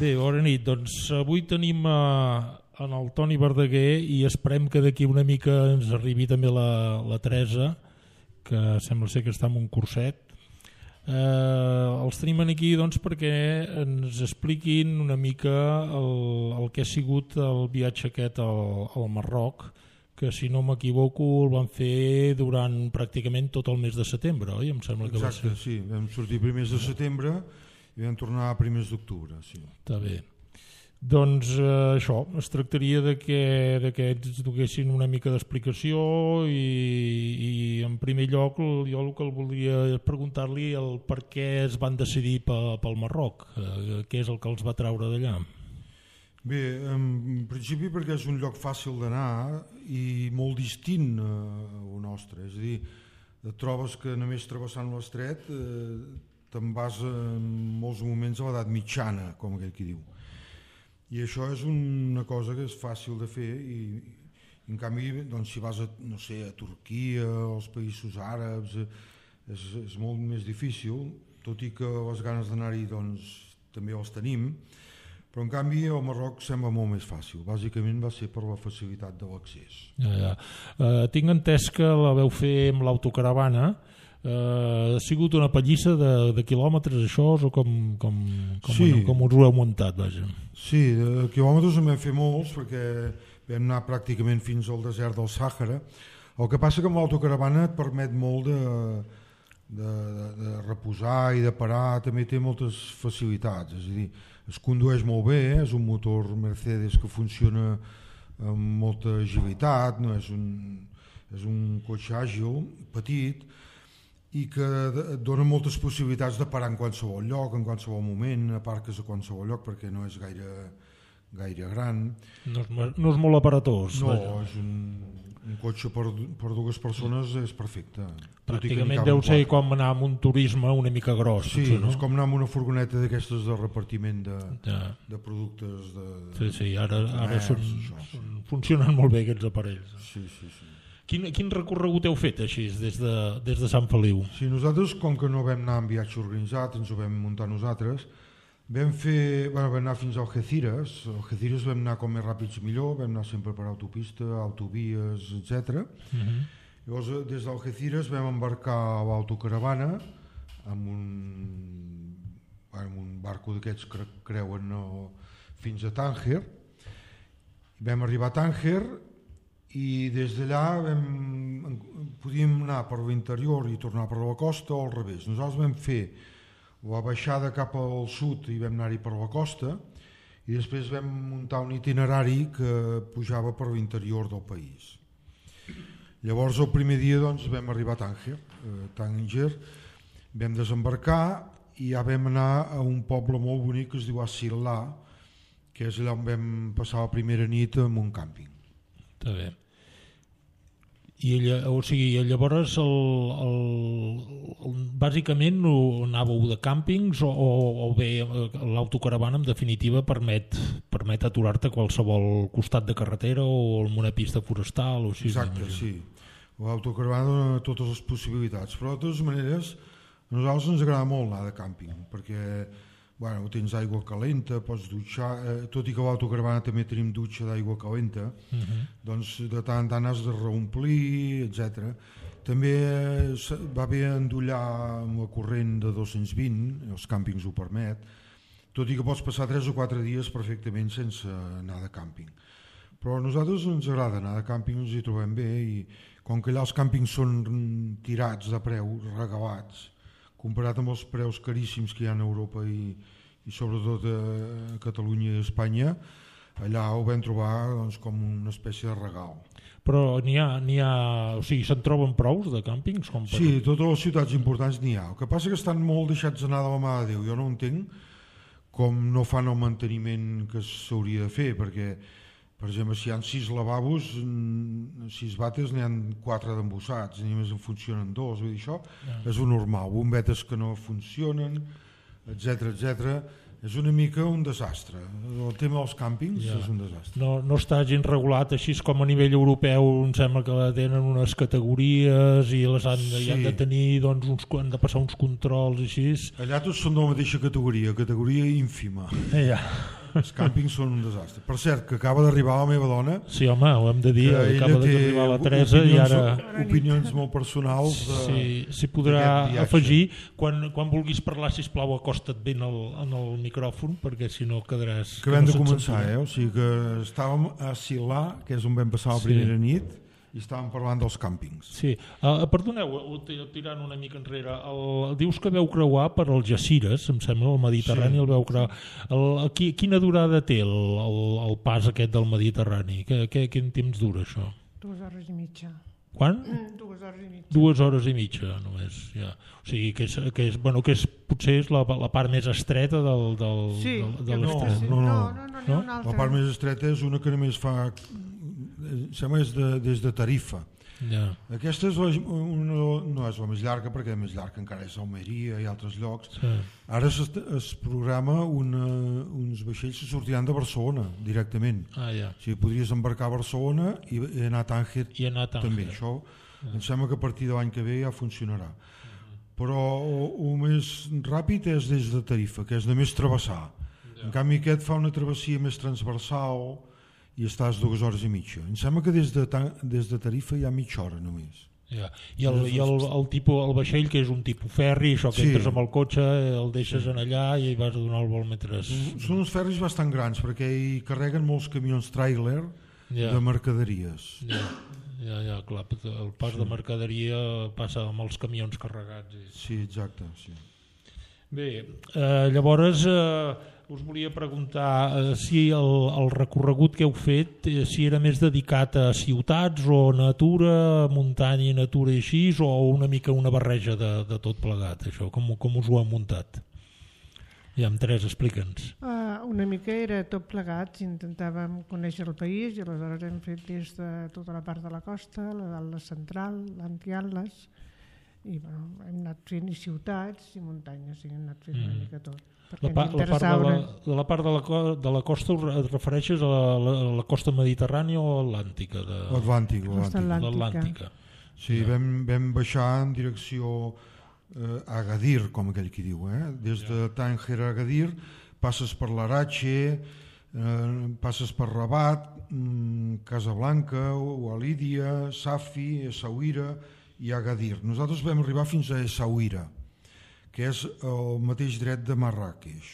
Bé, bona nit. Doncs avui tenim en el Toni Verdaguer i esperem que d'aquí una mica ens arribi també la Teresa, que sembla ser que està en un curset. Els tenim aquí doncs, perquè ens expliquin una mica el que ha sigut el viatge aquest al Marroc, que si no m'equivoco el van fer durant pràcticament tot el mes de setembre, oi? Em sembla que exacte, va ser. Sí, vam sortir primers de setembre i vam tornar a primers d'octubre. Sí. Està bé. Doncs això, es tractaria de que ens donessin una mica d'explicació i en primer lloc jo el que el voldria és preguntar-li el per què es van decidir pel Marroc, què és el que els va treure d'allà. Bé, en principi perquè és un lloc fàcil d'anar i molt distint al nostre, és a dir, et trobes que només travessant l'estret te'n vas en molts moments a l'edat mitjana, com aquell qui diu. I això és una cosa que és fàcil de fer i en canvi doncs, si vas a Turquia, als països àrabs, és molt més difícil, tot i que les ganes d'anar-hi doncs, també els tenim, però en canvi el Marroc sembla molt més fàcil. Bàsicament va ser per la facilitat de l'accés. Tinc entès que la veu fer amb l'autocaravana. Ha sigut una pallissa de quilòmetres això o com us ho heu muntat? Vaja. Sí, de quilòmetres en vam fer molts perquè vam anar pràcticament fins al desert del Sàhara. El que passa que amb l'autocaravana et permet molt de reposar i de parar, també té moltes facilitats, és a dir, es condueix molt bé, és un motor Mercedes que funciona amb molta agilitat, no? És un cotxe àgil, petit, i que et dona moltes possibilitats de parar en qualsevol lloc, en qualsevol moment, aparques a qualsevol lloc perquè no és gaire gran. No és molt aparatós. No, és un cotxe per dues persones és perfecte. Pràcticament deu ser com anar amb un turisme una mica gros. Sí, és com anar amb una furgoneta d'aquestes de repartiment de productes. Sí, ara funcionen molt bé aquests aparells. Sí. Quin recorregut heu fet així des de Sant Feliu? Sí, nosaltres, com que no vam anar en viatge organitzat, ens ho vam muntar nosaltres, vam anar fins a Algeciras. A Algeciras vam anar com més ràpids millor, vam anar sempre per autopista, autovies, etc. Llavors, des d'Algeciras vam embarcar a l'autocaravana amb un barco d'aquests que creuen fins a Tànger. Vam arribar a Tànger i des d'allà podíem anar per l'interior i tornar per la costa o al revés. Nosaltres vam fer la baixada cap al sud i vam anar-hi per la costa i després vam muntar un itinerari que pujava per l'interior del país. Llavors el primer dia doncs, vam arribar a Tànger, vam desembarcar i ja vam anar a un poble molt bonic que es diu As-Sirla, que és allà on vam passar la primera nit en un càmping. Està bé. Llavors bàsicament anàveu de càmpings o bé l'autocaravana en definitiva permet aturar-te a qualsevol costat de carretera o en una pista forestal o així? Exacte, sí. L'autocaravana dona totes les possibilitats, però de totes maneres a nosaltres ens agrada molt anar de càmping perquè tens aigua calenta, pots dutxar, tot i que a l'autocaravana també tenim dutxa d'aigua calenta, doncs de tant en tant has de reomplir, etc. També va bé endollar amb la corrent de 220, els càmpings ho permet, tot i que pots passar 3 o 4 dies perfectament sense anar de càmping. Però a nosaltres ens agrada anar de càmping, ens hi trobem bé i com que allà els càmpings són tirats de preu, regalats, comparat amb els preus caríssims que hi ha a Europa i sobretot a Catalunya i a Espanya, allà ho vam trobar doncs, com una espècie de regal. Però se'n troben prous de càmpings? Sí, totes les ciutats importants n'hi ha. El que passa que estan molt deixats d'anar de la mà de Déu. Jo no entenc com no fan el manteniment que s'hauria de fer, perquè per exemple, si hi ha 6 lavabos, 6 vàters, n'hi ha 4 d'embossats, ni més en funcionen 2, vull dir, això és un normal, bombetes que no funcionen, etc. És una mica un desastre. El tema dels càmpings és un desastre. No està gens regulat, així com a nivell europeu, em sembla que tenen unes categories i les han de tenir, doncs, han de passar uns controls així. Allà tots són de la mateixa categoria ínfima. Els càmpings són un desastre. Per cert, que acaba d'arribar la meva dona. Sí, home, ho hem de dir, acaba d'arribar la Teresa i ara... Opinions molt personals. S'hi podrà afegir. Quan vulguis parlar, sisplau, acosta't ben en el micròfon, perquè si no quedaràs... Acabem de començar, o sigui que estàvem a Silà, que és on vam passar la primera nit, i estàvem parlant dels càmpings. Sí, perdoneu, tirant una mica enrere, dius que veu creuar per als Jacires, em sembla, el Mediterrani, el veu creuar. Quina durada té el pas aquest del Mediterrani? Quin temps dura això? 2 hores i mitja. Quan? 2 hores i mitja. 2 hores i mitja, només. Ja. O sigui, potser és la part més estreta de l'estret. No. La part més estreta és una que només fa... sembla des de Tarifa. Yeah. Aquesta no és la més llarga, perquè la més llarga encara és Almeria i altres llocs. Sí. Ara es programa uns vaixells que sortiran de Barcelona directament. Ja. O sigui, podries embarcar a Barcelona i anar a Tànger també. Això em sembla que a partir de l'any que ve ja funcionarà. Però el més ràpid és des de Tarifa, que és només travessar. En canvi aquest fa una travessia més transversal i estàs 2 hores i mitja. Em sembla que des de Tarifa hi ha mitja hora només. Ja. I el vaixell, que és un tipus ferri, això que entres amb el cotxe, el deixes en allà i vas a donar el vol mentre... Són uns ferris bastant grans perquè hi carreguen molts camions tràiler de mercaderies. Ja, clar, el pas de mercaderia passa amb els camions carregats. Sí, exacte. Sí. Bé, llavors... us volia preguntar si el recorregut que heu fet si era més dedicat a ciutats o natura, muntanya i natura i així, o una mica una barreja de tot plegat, això, com us ho heu muntat? Ja, Teresa, explica'ns. Una mica era tot plegat, intentàvem conèixer el país i aleshores hem fet des de tota la part de la costa, la central, l'Anti-Atles, i hem anat fent i ciutats i muntanyes, i hem anat fent una mica tot. La part de la costa et refereixes a la costa mediterrània o atlàntica? L'Atlàntica. Sí, vam baixar en direcció a Agadir, com aquell qui diu. Des de Tànger a Agadir passes per l'Arache, passes per Rabat, Casablanca, Walídia, Safi, Essaouira i Agadir. Nosaltres vam arribar fins a Essaouira, que és el mateix dret de Marràqueix.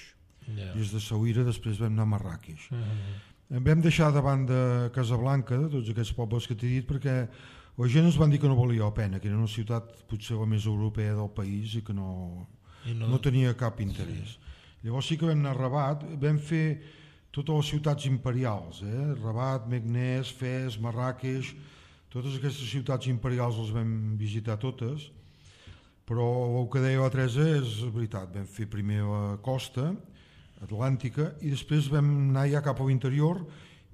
Des de Essaouira després vam anar a Marràqueix. Vam deixar davant de Casablanca, de tots aquests pobles que t'he dit, perquè la gent ens van dir que no valia la pena, que era una ciutat potser la més europea del país i que no tenia cap interès. Llavors sí que vam anar a Rabat, vam fer totes les ciutats imperials, Rabat, Meknès, Fes, Marràqueix, totes aquestes ciutats imperials les vam visitar totes. Però el que deia la Teresa és veritat, vam fer primer la costa atlàntica i després vam anar ja cap a l'interior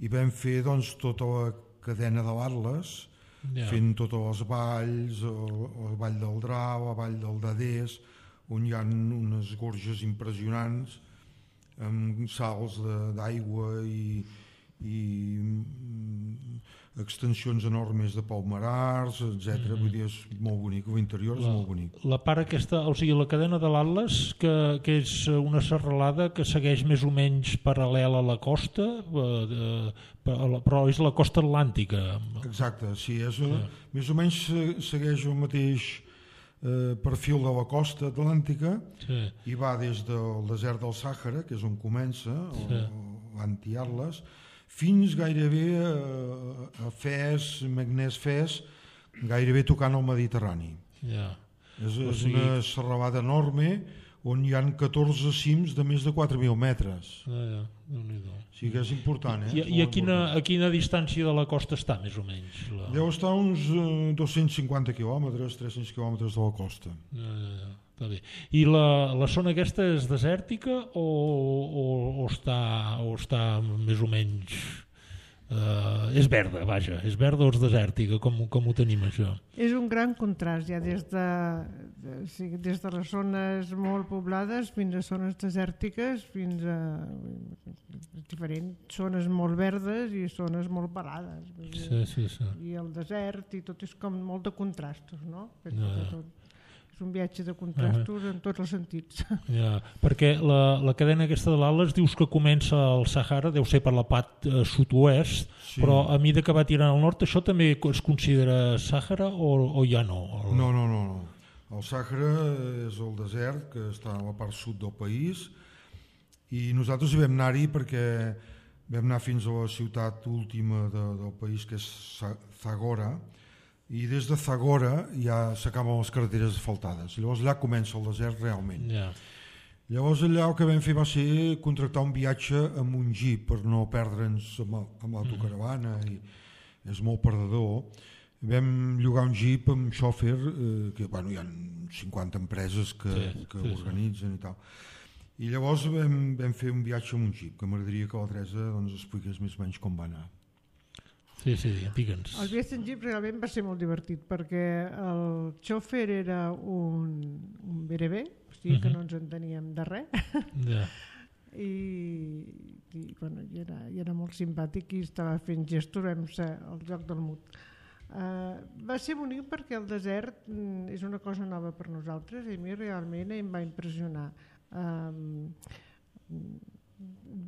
i vam fer tota la cadena de l'Atles, fent totes les valls, la vall del Drau, la vall del Dadés, on hi ha unes gorges impressionants amb salts d'aigua i extensions enormes de palmerars, etc. Vull dir, és molt bonic, l'interior és molt bonic. La part aquesta, o sigui, la cadena de l'Atles, que és una serralada que segueix més o menys paral·lel a la costa, però és la costa atlàntica. Exacte, sí, més o menys segueix el mateix perfil de la costa atlàntica i va des del desert del Sàhara, que és on comença, l'Anti-Atles, fins gairebé a Fes, Meknès-Fes, gairebé tocant el Mediterrani. És una serralada enorme on hi ha 14 cims de més de 4.000 metres. Sí que és important. I a quina distància de la costa està, més o menys? Deu estar uns 250 quilòmetres, 300 quilòmetres de la costa. I la zona aquesta és desèrtica o està més o menys... és verda, vaja, és verda o és desèrtica, com ho tenim això? És un gran contrast, ja des de les zones molt poblades fins a zones desèrtiques, fins a diferents zones molt verdes i zones molt pelades. I el desert i tot és com molt de contrastos, no? És un viatge de contrastos en tots els sentits. Ja, perquè la cadena aquesta de l'Atles dius que comença al Sàhara, deu ser per la part sud-oest, Sí. però a mesura que va tirant al nord, això també es considera Sàhara o ja no? No. El Sàhara és el desert que està a la part sud del país i nosaltres hi vam anar-hi perquè vam anar fins a la ciutat última del país, que és Zagora, i des de Zagora ja s'acaben les carreteres asfaltades. Llavors allà comença el desert realment. Ja. Llavors allà el que vam fer va ser contractar un viatge amb un jeep per no perdre'ns amb l'autocaravana, i és molt perdedor. Vam llogar un jeep amb xòfer, que hi ha 50 empreses que organitzen i tal. I llavors vam fer un viatge amb un jeep, que m'agradaria que la Teresa expliqués més o menys com va anar. Sí, digue'ns. El viatge en jeep realment va ser molt divertit, perquè el xòfer era un berebè, o sigui que no ens enteníem de res. Ja. I era molt simpàtic i estava fent gestos, vam ser al joc del mut. Va ser bonic perquè el desert és una cosa nova per nosaltres i a mi realment em va impressionar.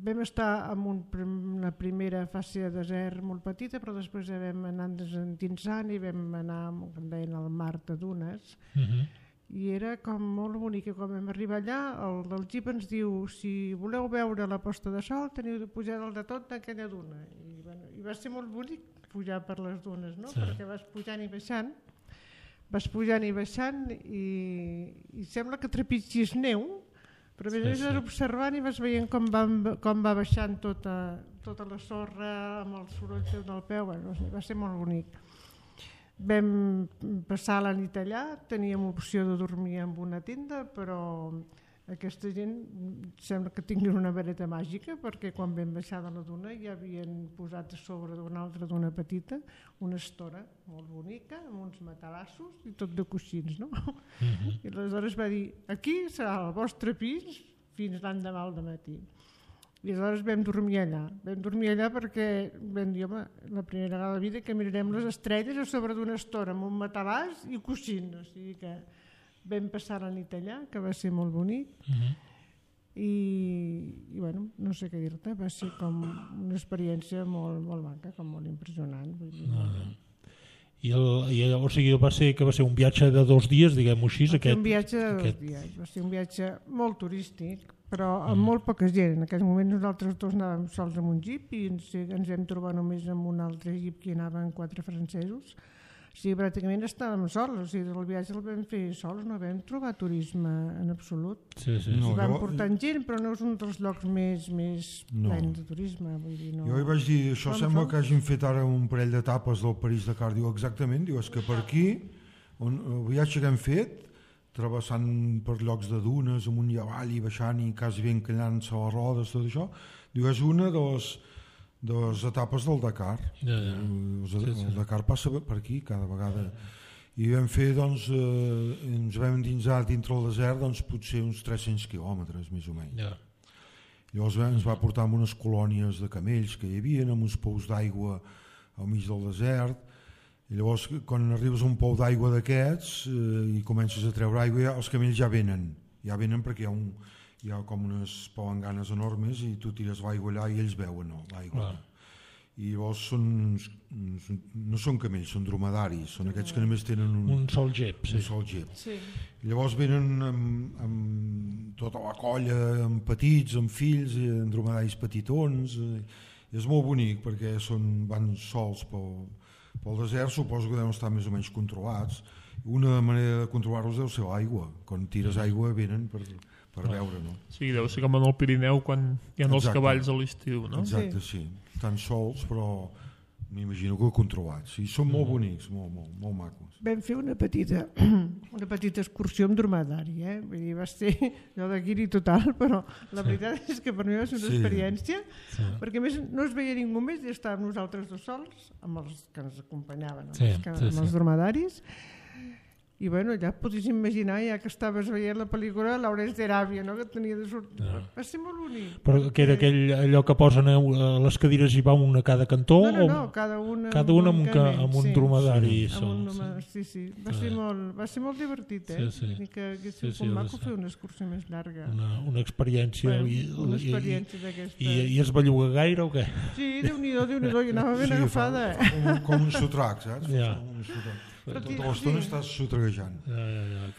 Vam estar en una primera fase de desert molt petita, però després vam anar endinsant i vam anar, com deien, al mar de dunes, i era com molt bonic. Quan vam arribar allà, el del jeep ens diu: si voleu veure la posta de sol teniu de pujar dalt de tot d'aquella duna. I va ser molt bonic pujar per les dunes, no? Perquè vas pujant i baixant i sembla que trepitgis neu, però a més vas observant i vas veient com va baixant tota la sorra amb el soroll del peu. Va ser molt bonic. Vam passar la nit allà, teníem opció de dormir en una tenda, però aquesta gent sembla que tinguin una vareta màgica, perquè quan vam baixar de la duna ja havien posat a sobre d'una altra duna petita una estora molt bonica amb uns matalassos i tot de coixins, no? I aleshores va dir: aquí serà el vostre pis fins l'endemà al matí. I aleshores vam dormir allà perquè vam dir: home, la primera vegada de la vida que mirarem les estrelles a sobre d'una estora amb un matalàs i coixins. O sigui que vam passar la nit allà, que va ser molt bonic. I bueno, no sé què dir-te, va ser com una experiència molt maca, com molt impressionant. O sigui, va ser un viatge de 2 dies, diguem-ho així? Un viatge de 2 dies, va ser un viatge molt turístic, però amb molt poca gent. En aquell moment nosaltres dos anàvem sols amb un jeep i ens vam trobar només amb un altre jeep que hi anaven 4 francesos. O sigui, pràcticament estàvem sols, o sigui, el viatge el vam fer sols, no vam trobar turisme en absolut. Vam portant gent, però no és un dels llocs més plens de turisme. Vull dir, no. Jo hi vaig dir: això sembla que hagin fet ara un parell d'etapes del París-Dakar. Diu: exactament, diu, és que per aquí, el viatge que hem fet, travessant per llocs de dunes, amunt i avall i baixant i quasi ben encallant-se a les rodes, tot això, diu, és una de les etapes del Dakar. El Dakar passa per aquí cada vegada. I vam fer, ens vam endinsar dintre el desert potser uns 300 quilòmetres, més o menys. Llavors ens va portar amb unes colònies de camells que hi havia, amb uns pous d'aigua al mig del desert. I llavors, quan arribes a un pou d'aigua d'aquests i comences a treure aigua, els camells ja venen perquè hi ha com unes palanganes enormes i tu tires l'aigua allà i ells beuen l'aigua. I llavors no són camells, són dromedaris, són aquests que només tenen un sol gep. Llavors venen amb tota la colla, amb petits, amb fills, amb dromedaris petitons. És molt bonic perquè van sols pel desert, suposo que deuen estar més o menys controlats. Una manera de controlar-los deu ser l'aigua. Quan tires aigua venen per beure, no? Sí, deu ser com en el Pirineu quan hi ha els cavalls a l'estiu, no? Exacte, sí. Estan sols, però m'imagino que controlats. I són molt bonics, molt macos. Vam fer una petita excursió amb dromedari, Vull dir, va ser allò de guiri total, però la veritat és que per mi va ser una experiència, perquè a més no es veia ningú més i estàvem nosaltres dos sols, amb els que ens acompanyaven, amb els dromedaris, I bueno, ja et podies imaginar, ja que estaves veient la pel·lícula, Lawrence d'Aràbia, no? Que tenia de sortir. Va ser molt bonic. Però que era allò que posen a les cadires i va una a cada cantó? No, cada una amb un dromedari. Sí. Va ser molt divertit, eh? Sí. Que haguéssim com maco fer una excursió més llarga. Una experiència. Una experiència d'aquesta. I es belluga gaire o què? Sí, Déu-n'hi-do, i anava ben agafada. Com un sotrac, saps? Ja. Tota l'estona estàs sotraguejant.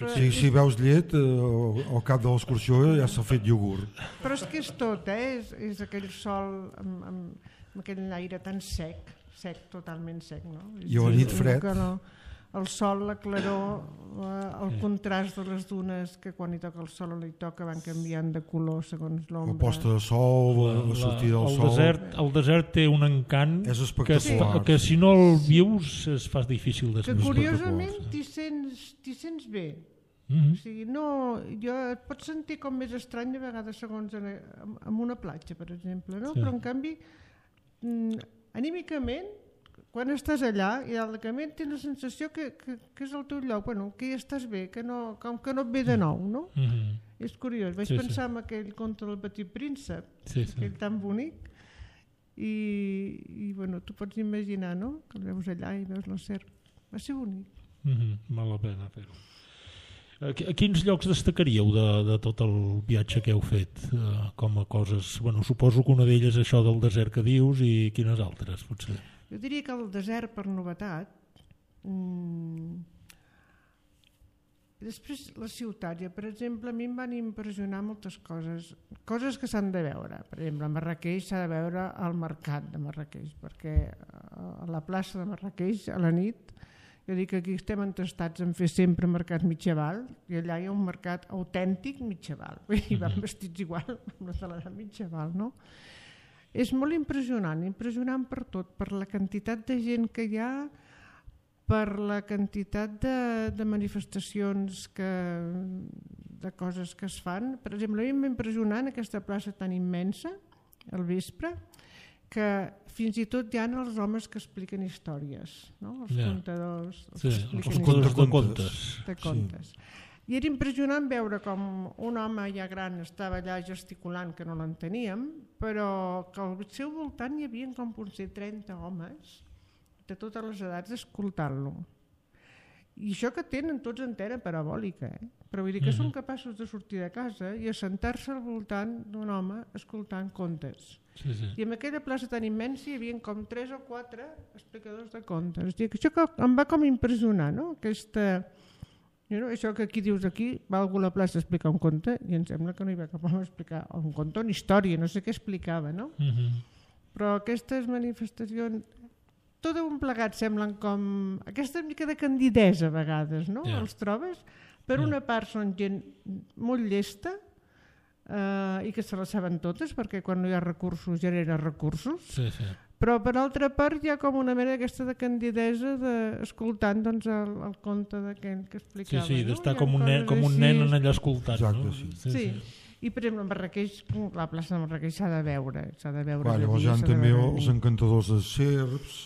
Si veus llet, al cap de l'excursió ja s'ha fet iogurt. Però és que és tot, és aquell sol amb aquell aire tan sec, totalment sec, no? I a la nit fred. El sol, la claror, el contrast de les dunes, que quan hi toca el sol o no hi toca van canviant de color segons l'ombra. La posta de sol, la sortida del sol. El desert té un encant que si no el vius es fa difícil d'explicar. Que curiosament t'hi sents bé. O sigui, et pots sentir com més estrany a vegades segons en una platja, per exemple, no? Però en canvi, anímicament, quan estàs allà, idealment tens la sensació que és el teu lloc, que hi estàs bé, com que no et ve de nou, no? És curiós. Vaig pensar en aquell conte del Petit Príncep, aquell tan bonic, i tu pots imaginar, no?, que el veus allà i veus la serp. Va ser bonic. Val la pena fer-ho. A quins llocs destacaríeu de tot el viatge que heu fet com a coses? Suposo que una d'elles és això del desert que dius, i quines altres, potser? Jo diria que el desert per novetat, després la ciutat, per exemple, a mi em van impressionar moltes coses que s'han de veure. Per exemple, a Marràqueix s'ha de veure el mercat de Marràqueix, perquè a la plaça de Marràqueix a la nit, jo dic que aquí estem entestats en fer sempre mercat mitjaval, i allà hi ha un mercat autèntic mitjaval, i van vestits igual amb la de l'edat mitjaval, no? És molt impressionant per tot, per la quantitat de gent que hi ha, per la quantitat de manifestacions, de coses que es fan. Per exemple, a mi m'ha impressionat aquesta plaça tan immensa, al vespre, que fins i tot hi ha els homes que expliquen històries, no? Els contadors, els contadors de contes. I era impressionant veure com un home ja gran estava allà gesticulant, que no l'enteníem, però que al seu voltant hi havia com potser 30 homes de totes les edats escoltant-lo. I això que tenen tots antena parabòlica, però vull dir que són capaços de sortir de casa i assentar-se al voltant d'un home escoltant contes. I en aquella plaça tan immensa hi havia com 3 o 4 explicadors de contes. Això que em va com impressionar, no? Això que aquí dius, aquí va algú a la plaça a explicar un conte i em sembla que no hi va cap home a explicar un conte o una història, no sé què explicava, no? Però aquestes manifestacions, tot un plegat semblen com aquesta mica de candidesa a vegades, no? Els trobes? Per una part són gent molt llesta i que se les saben totes, perquè quan no hi ha recursos genera recursos, però per altra part hi ha com una mena d'aquesta de candidesa escoltant el conte d'aquell que explicava. D'estar com un nen allà escoltant. Sí. I per exemple, a Marràqueix, la plaça de Marràqueix s'ha de veure. Llavors hi ha també els encantadors de serps,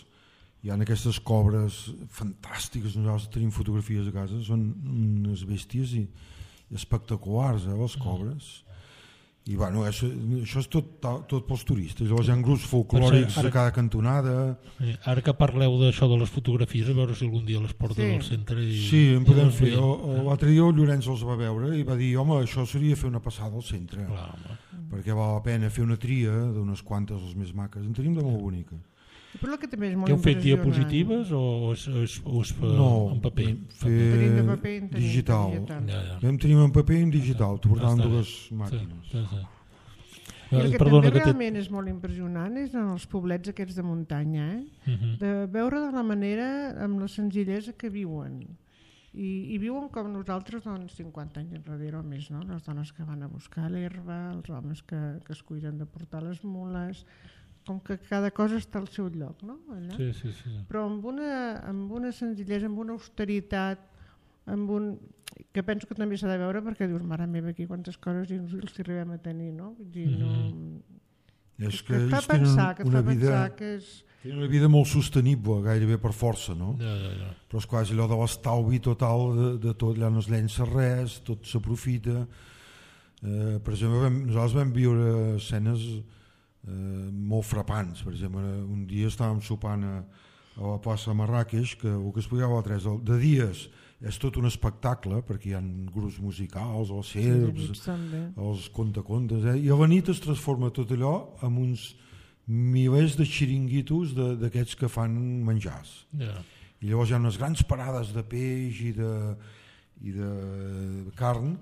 hi ha aquestes cobres fantàstiques, nosaltres tenim fotografies a casa, són unes bèsties i espectaculars, les cobres. I això és tot pels turistes. Llavors hi ha grups folclòrics a cada cantonada. Ara que parleu d'això de les fotografies, a veure si algun dia les porta al centre. Sí, en podem fer. L'altre dia el Llorenç els va veure i va dir, home, això seria fer una passada al centre, perquè val la pena fer una tria d'unes quantes, les més maques. En tenim de molt bonica. Què heu fet, diapositives o és en paper? Tenim paper digital. Tenim en paper i en digital, portant dues màquines. I el que també realment és molt impressionant és en els poblets aquests de muntanya, de veure de la manera, amb la senzillesa que viuen. I viuen com nosaltres 50 anys enrere o més, no? Les dones que van a buscar l'herba, els homes que es cuiden de portar les mules, com que cada cosa està al seu lloc, no? Sí. Però amb una senzillesa, amb una austeritat, que penso que també s'ha de veure, perquè dius, mare meva, aquí quantes coses inútils arribem a tenir, no? Vull dir, no... És que ells tenen una vida... que és Tenen una vida molt sostenible, gairebé per força, no? Ja. Però és quasi allò de l'estalvi total de tot, allà no es llença res, tot s'aprofita. Per exemple, nosaltres vam viure escenes molt frapants. Per exemple, un dia estàvem sopant a la plaça Marràqueix, que el que explicava a 3 de dies és tot un espectacle, perquè hi ha grups musicals, els serps, els contacontes, i a la nit es transforma tot allò en uns milers de xiringuitos d'aquests que fan menjars. I llavors hi ha unes grans parades de peix i de carn,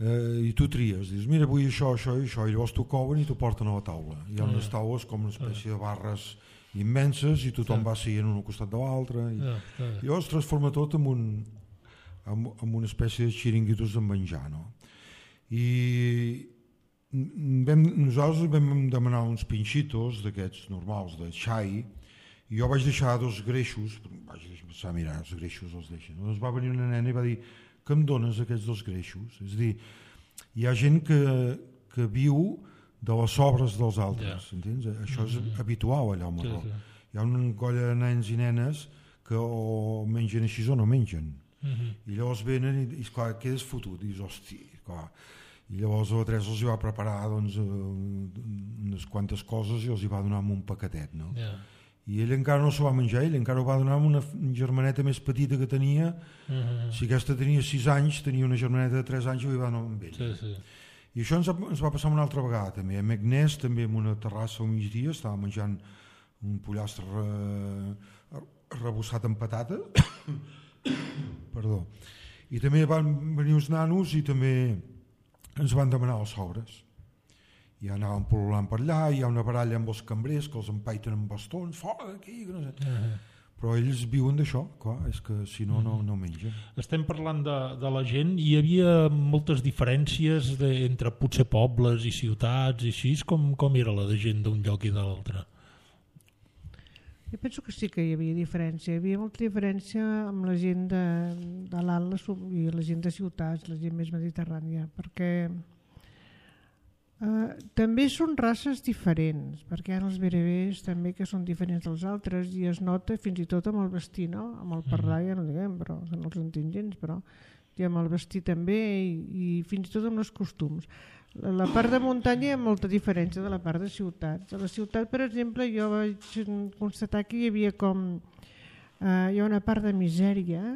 i tu tries, dius mira vull això, això i això, i llavors t'ho couen i t'ho porten a la taula. Hi ha unes taules com una espècie de barres immenses i tothom va seient un al costat de l'altre, i llavors es transforma tot en una espècie de xiringuitos de menjar, no? I nosaltres vam demanar uns pinxitos d'aquests normals de xai, i jo vaig deixar 2 greixos, vaig pensar, mira, els greixos els deixen. Llavors va venir una nena i va dir, què em dones aquests 2 greixos? És a dir, hi ha gent que viu de les sobres dels altres, entens? Això és habitual allà al Marroc. Hi ha una colla de nens i nenes que o mengen així o no mengen. I llavors venen i clar, quedes fotut, i dius, hosti, clar. I llavors la Teresa els va preparar unes quantes coses i els va donar un paquetet, no? I ell encara no s'ho va menjar, ell encara ho va donar amb una germaneta més petita que tenia. Si aquesta tenia 6 anys, tenia una germaneta de 3 anys i ho va donar amb ell. I això ens va passar una altra vegada també. A Meknès, també en una terrassa al migdia, estava menjant un pollastre arrebossat amb patata. Perdó. I també van venir uns nanos i també ens van demanar els sobres. I anàvem pol·lulant per allà, hi ha una baralla amb els cambrers que els empaiten amb bastons, fora d'aquí, que no sé. Però ells viuen d'això, clar, és que si no, no mengen. Estem parlant de la gent, hi havia moltes diferències entre potser pobles i ciutats i així, com era la de gent d'un lloc i de l'altre? Jo penso que sí que hi havia diferència. Hi havia molta diferència amb la gent de l'Atlas i la gent de ciutats, la gent més mediterrània, perquè també són races diferents, perquè hi ha els berebers també que són diferents dels altres i es nota fins i tot amb el vestir, no? Amb el parlar ja no diguem, però no els entenc gens, però i amb el vestir també i fins i tot amb els costums. La part de muntanya hi ha molta diferència de la part de ciutats. A la ciutat, per exemple, jo vaig constatar que hi havia hi ha una part de misèria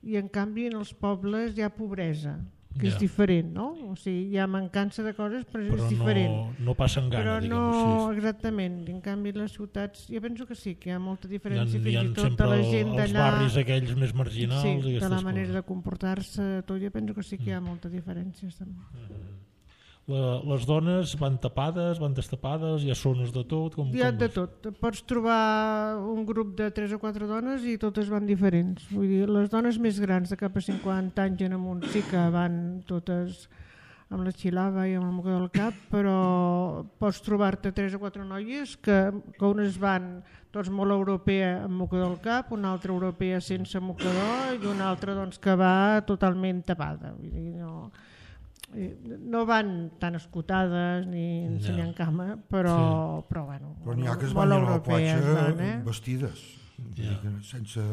i en canvi en els pobles hi ha pobresa, que és diferent, no? O sigui, hi ha mancança de coses, però és diferent. No passen gana, diguem-ho així. Però no, exactament. En canvi, les ciutats, jo penso que sí, que hi ha molta diferència, fins i tot de la gent d'allà. Els barris aquells més marginals. Sí, de la manera de comportar-se, tot, jo penso que sí que hi ha molta diferència. Les dones van tapades, van destapades, hi ha zones de tot? Hi ha de tot. Pots trobar un grup de 3 o 4 dones i totes van diferents. Vull dir, les dones més grans de cap a 50 anys en amunt sí que van totes amb la xilava i amb el mocador al cap, però pots trobar-te 3 o 4 noies que unes van tots molt europea amb mocador al cap, una altra europea sense mocador i una altra doncs, que va totalment tapada. Vull dir, no van tan escotades ni ensenyant cama, però bueno, però n'hi ha que es van a la platja vestides, sense...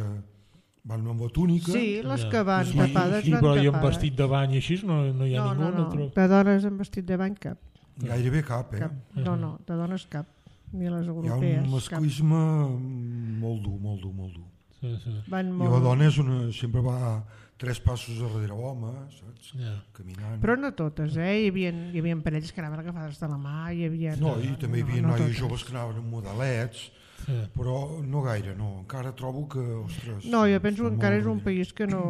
van amb la túnica. Sí, les que van tapades van tapades. Però i amb vestit de bany i així no hi ha ningú? No, de dones amb vestit de bany cap. Gairebé cap, No, de dones cap, ni les europees. Hi ha un masclisme molt dur, molt dur, molt dur. I la dona sempre va 3 passos darrere l'home, saps? Caminant. Però no totes, hi havia parelles que anaven agafades de la mà, i també hi havia noies joves que anaven amb modelets, però no gaire, no. Encara trobo que, ostres... No, jo penso que encara és un país que no...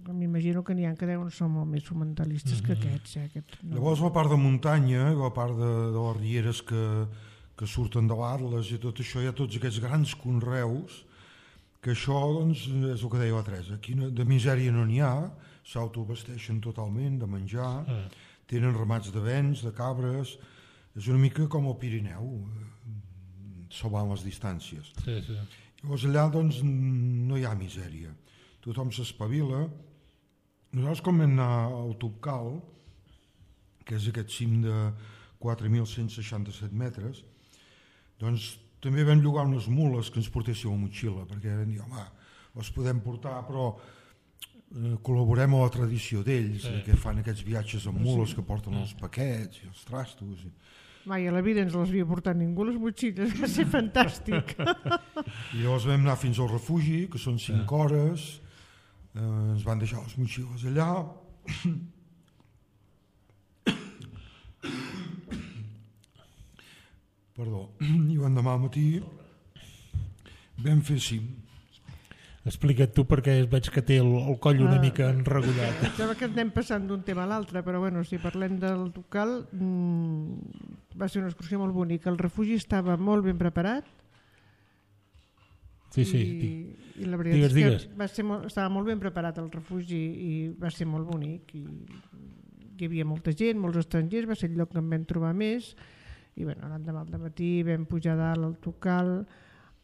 M'imagino que n'hi ha que deuen ser molt més fonamentalistes que aquests. Llavors la part de muntanya, la part de les rieres que surten de l'Atles i tot això, hi ha tots aquests grans conreus que això doncs, és el que deia la Teresa, aquí de misèria no n'hi ha, s'autovesteixen totalment de menjar, tenen ramats de bens, de cabres, és una mica com el Pirineu, salvant les distàncies. Llavors allà doncs, no hi ha misèria, tothom s'espavila. Nosaltres com vam anar al Topkal, que és aquest cim de 4.167 metres, doncs També vam llogar unes mules que ens portéssim a motxilla, perquè vam dir, home, els podem portar, però col·laborem a la tradició d'ells, que fan aquests viatges amb mules que porten els paquets i els trastos. Mai a la vida ens les havia portat ningú, les motxilles, va ser fantàstic. I llavors vam anar fins al refugi, que són 5 hores, ens van deixar les motxilles allà, i l'endemà al matí vam fer cim. Explica't tu, perquè veig que té el coll una mica enregullat. Sembla que anem passant d'un tema a l'altre, però bueno, si parlem del Tocal, va ser una excursió molt bonica. El refugi estava molt ben preparat. Sí. I la veritat és que estava molt ben preparat el refugi i va ser molt bonic. Hi havia molta gent, molts estrangers, va ser el lloc que en vam trobar més. I bueno, l'endemà al matí vam pujar dalt al Tocal.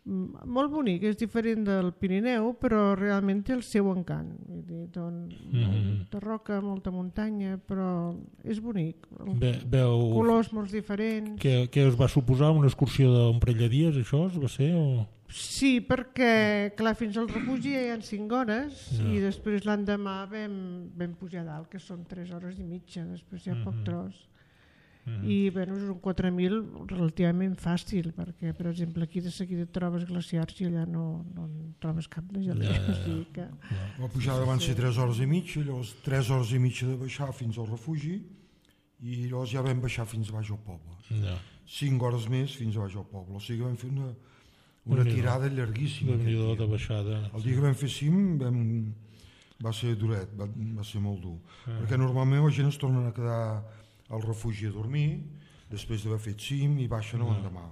Molt bonic, és diferent del Pirineu, però realment té el seu encant. Molta roca, molta muntanya, però és bonic. Colors molt diferents. Què us va suposar? Una excursió d'un parell de dies, això va ser? Sí, perquè clar, fins al refugi hi ha 5 hores i després l'endemà vam pujar dalt, que són 3 hores i mitja, després hi ha poc tros. I bueno, és un 4.000 relativament fàcil, perquè per exemple aquí de seguida trobes glaciars i allà no trobes cap de gelea. La pujada van ser 3 hores i mitja, llavors 3 hores i mitja de baixar fins al refugi i llavors ja vam baixar fins baix al poble. 5 hores més fins a baix al poble, o sigui que vam fer una tirada llarguíssima. De baixada. El dia que vam fer cim va ser duret, va ser molt dur, perquè normalment la gent es torna a quedar al refugi a dormir, després d'haver fet cim i baixen l'endemà.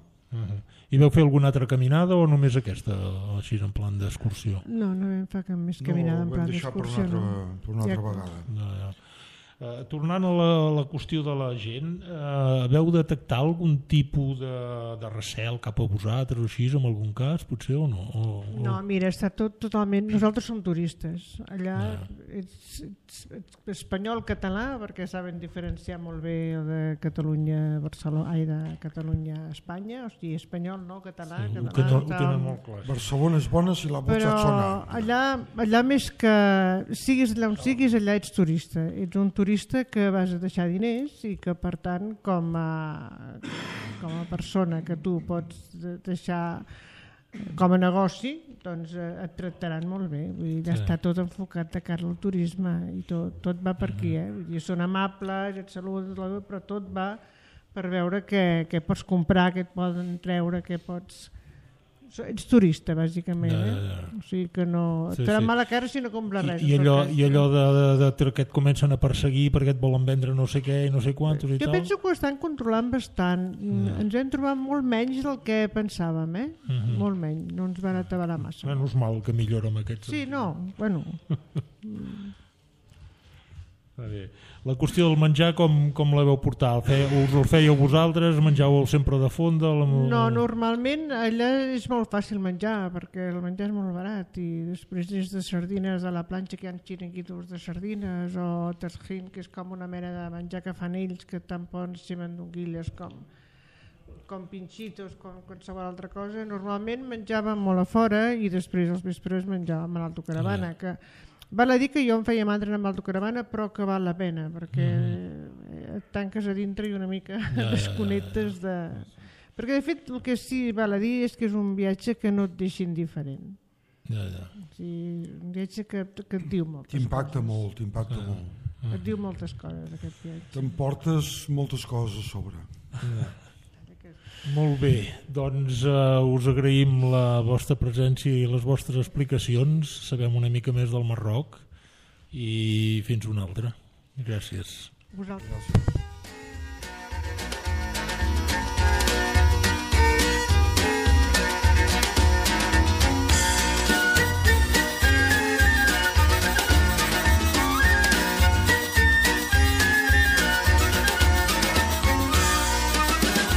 I vau fer alguna altra caminada o només aquesta, així en plan d'excursió? No vam fer cap més caminada en plan d'excursió. No, ho vam deixar per una altra vegada. Tornant a la qüestió de la gent, veu detectar algun tipus de recel cap a vosaltres o així, en algun cas, potser, o no? No, mira, està totalment... Nosaltres som turistes. Allà ets espanyol-català, perquè saben diferenciar molt bé de Catalunya, de Catalunya-Espanya, o sigui, espanyol, no, català, ho tenen molt clar. Barcelona és bona si la vols sona. Però allà més que siguis allà on siguis, allà ets turista. Ets un turista que vas a deixar diners i que per tant com a persona que tu pots deixar com a negoci, doncs et tractaran molt bé. Vull dir, ja està tot enfocat de cara al turisme i tot va per aquí. Vull dir, són amables, et saluden, però tot va per veure què pots comprar, què et poden treure, què pots... Ets turista, bàsicament. O sigui que no... Et farà mala cara si no compres res. I allò de que et comencen a perseguir perquè et volen vendre no sé què i no sé quantos i tal... Jo penso que ho estan controlant bastant. Ens hem trobat molt menys del que pensàvem, molt menys. No ens van atabalar massa. No és mal que millora amb aquests... Sí, no, bueno... La qüestió del menjar com la veu portar? Us el fèieu vosaltres? Menjàveu sempre de fonda? No, normalment allà és molt fàcil menjar perquè el menjar és molt barat i després des de sardines a la planxa que hi ha xiringuitos de sardines o tajín, que és com una mena de menjar que fan ells, que tant poden ser mandonguilles com pinxitos, com qualsevol altra cosa. Normalment menjàvem molt a fora i després als vespres menjàvem a l'autocaravana, que val a dir que jo em feia mandra amb l'autocaravana, però que val la pena, perquè et tanques a dintre i una mica desconnectes de... Perquè de fet el que sí val a dir és que és un viatge que no et deixa indiferent. O sigui, un viatge que et diu moltes coses. T'impacta molt. Et diu moltes coses aquest viatge. T'emportes moltes coses a sobre. Molt bé, doncs us agraïm la vostra presència i les vostres explicacions, sabem una mica més del Marroc i fins una altra. Gràcies. Vosaltres.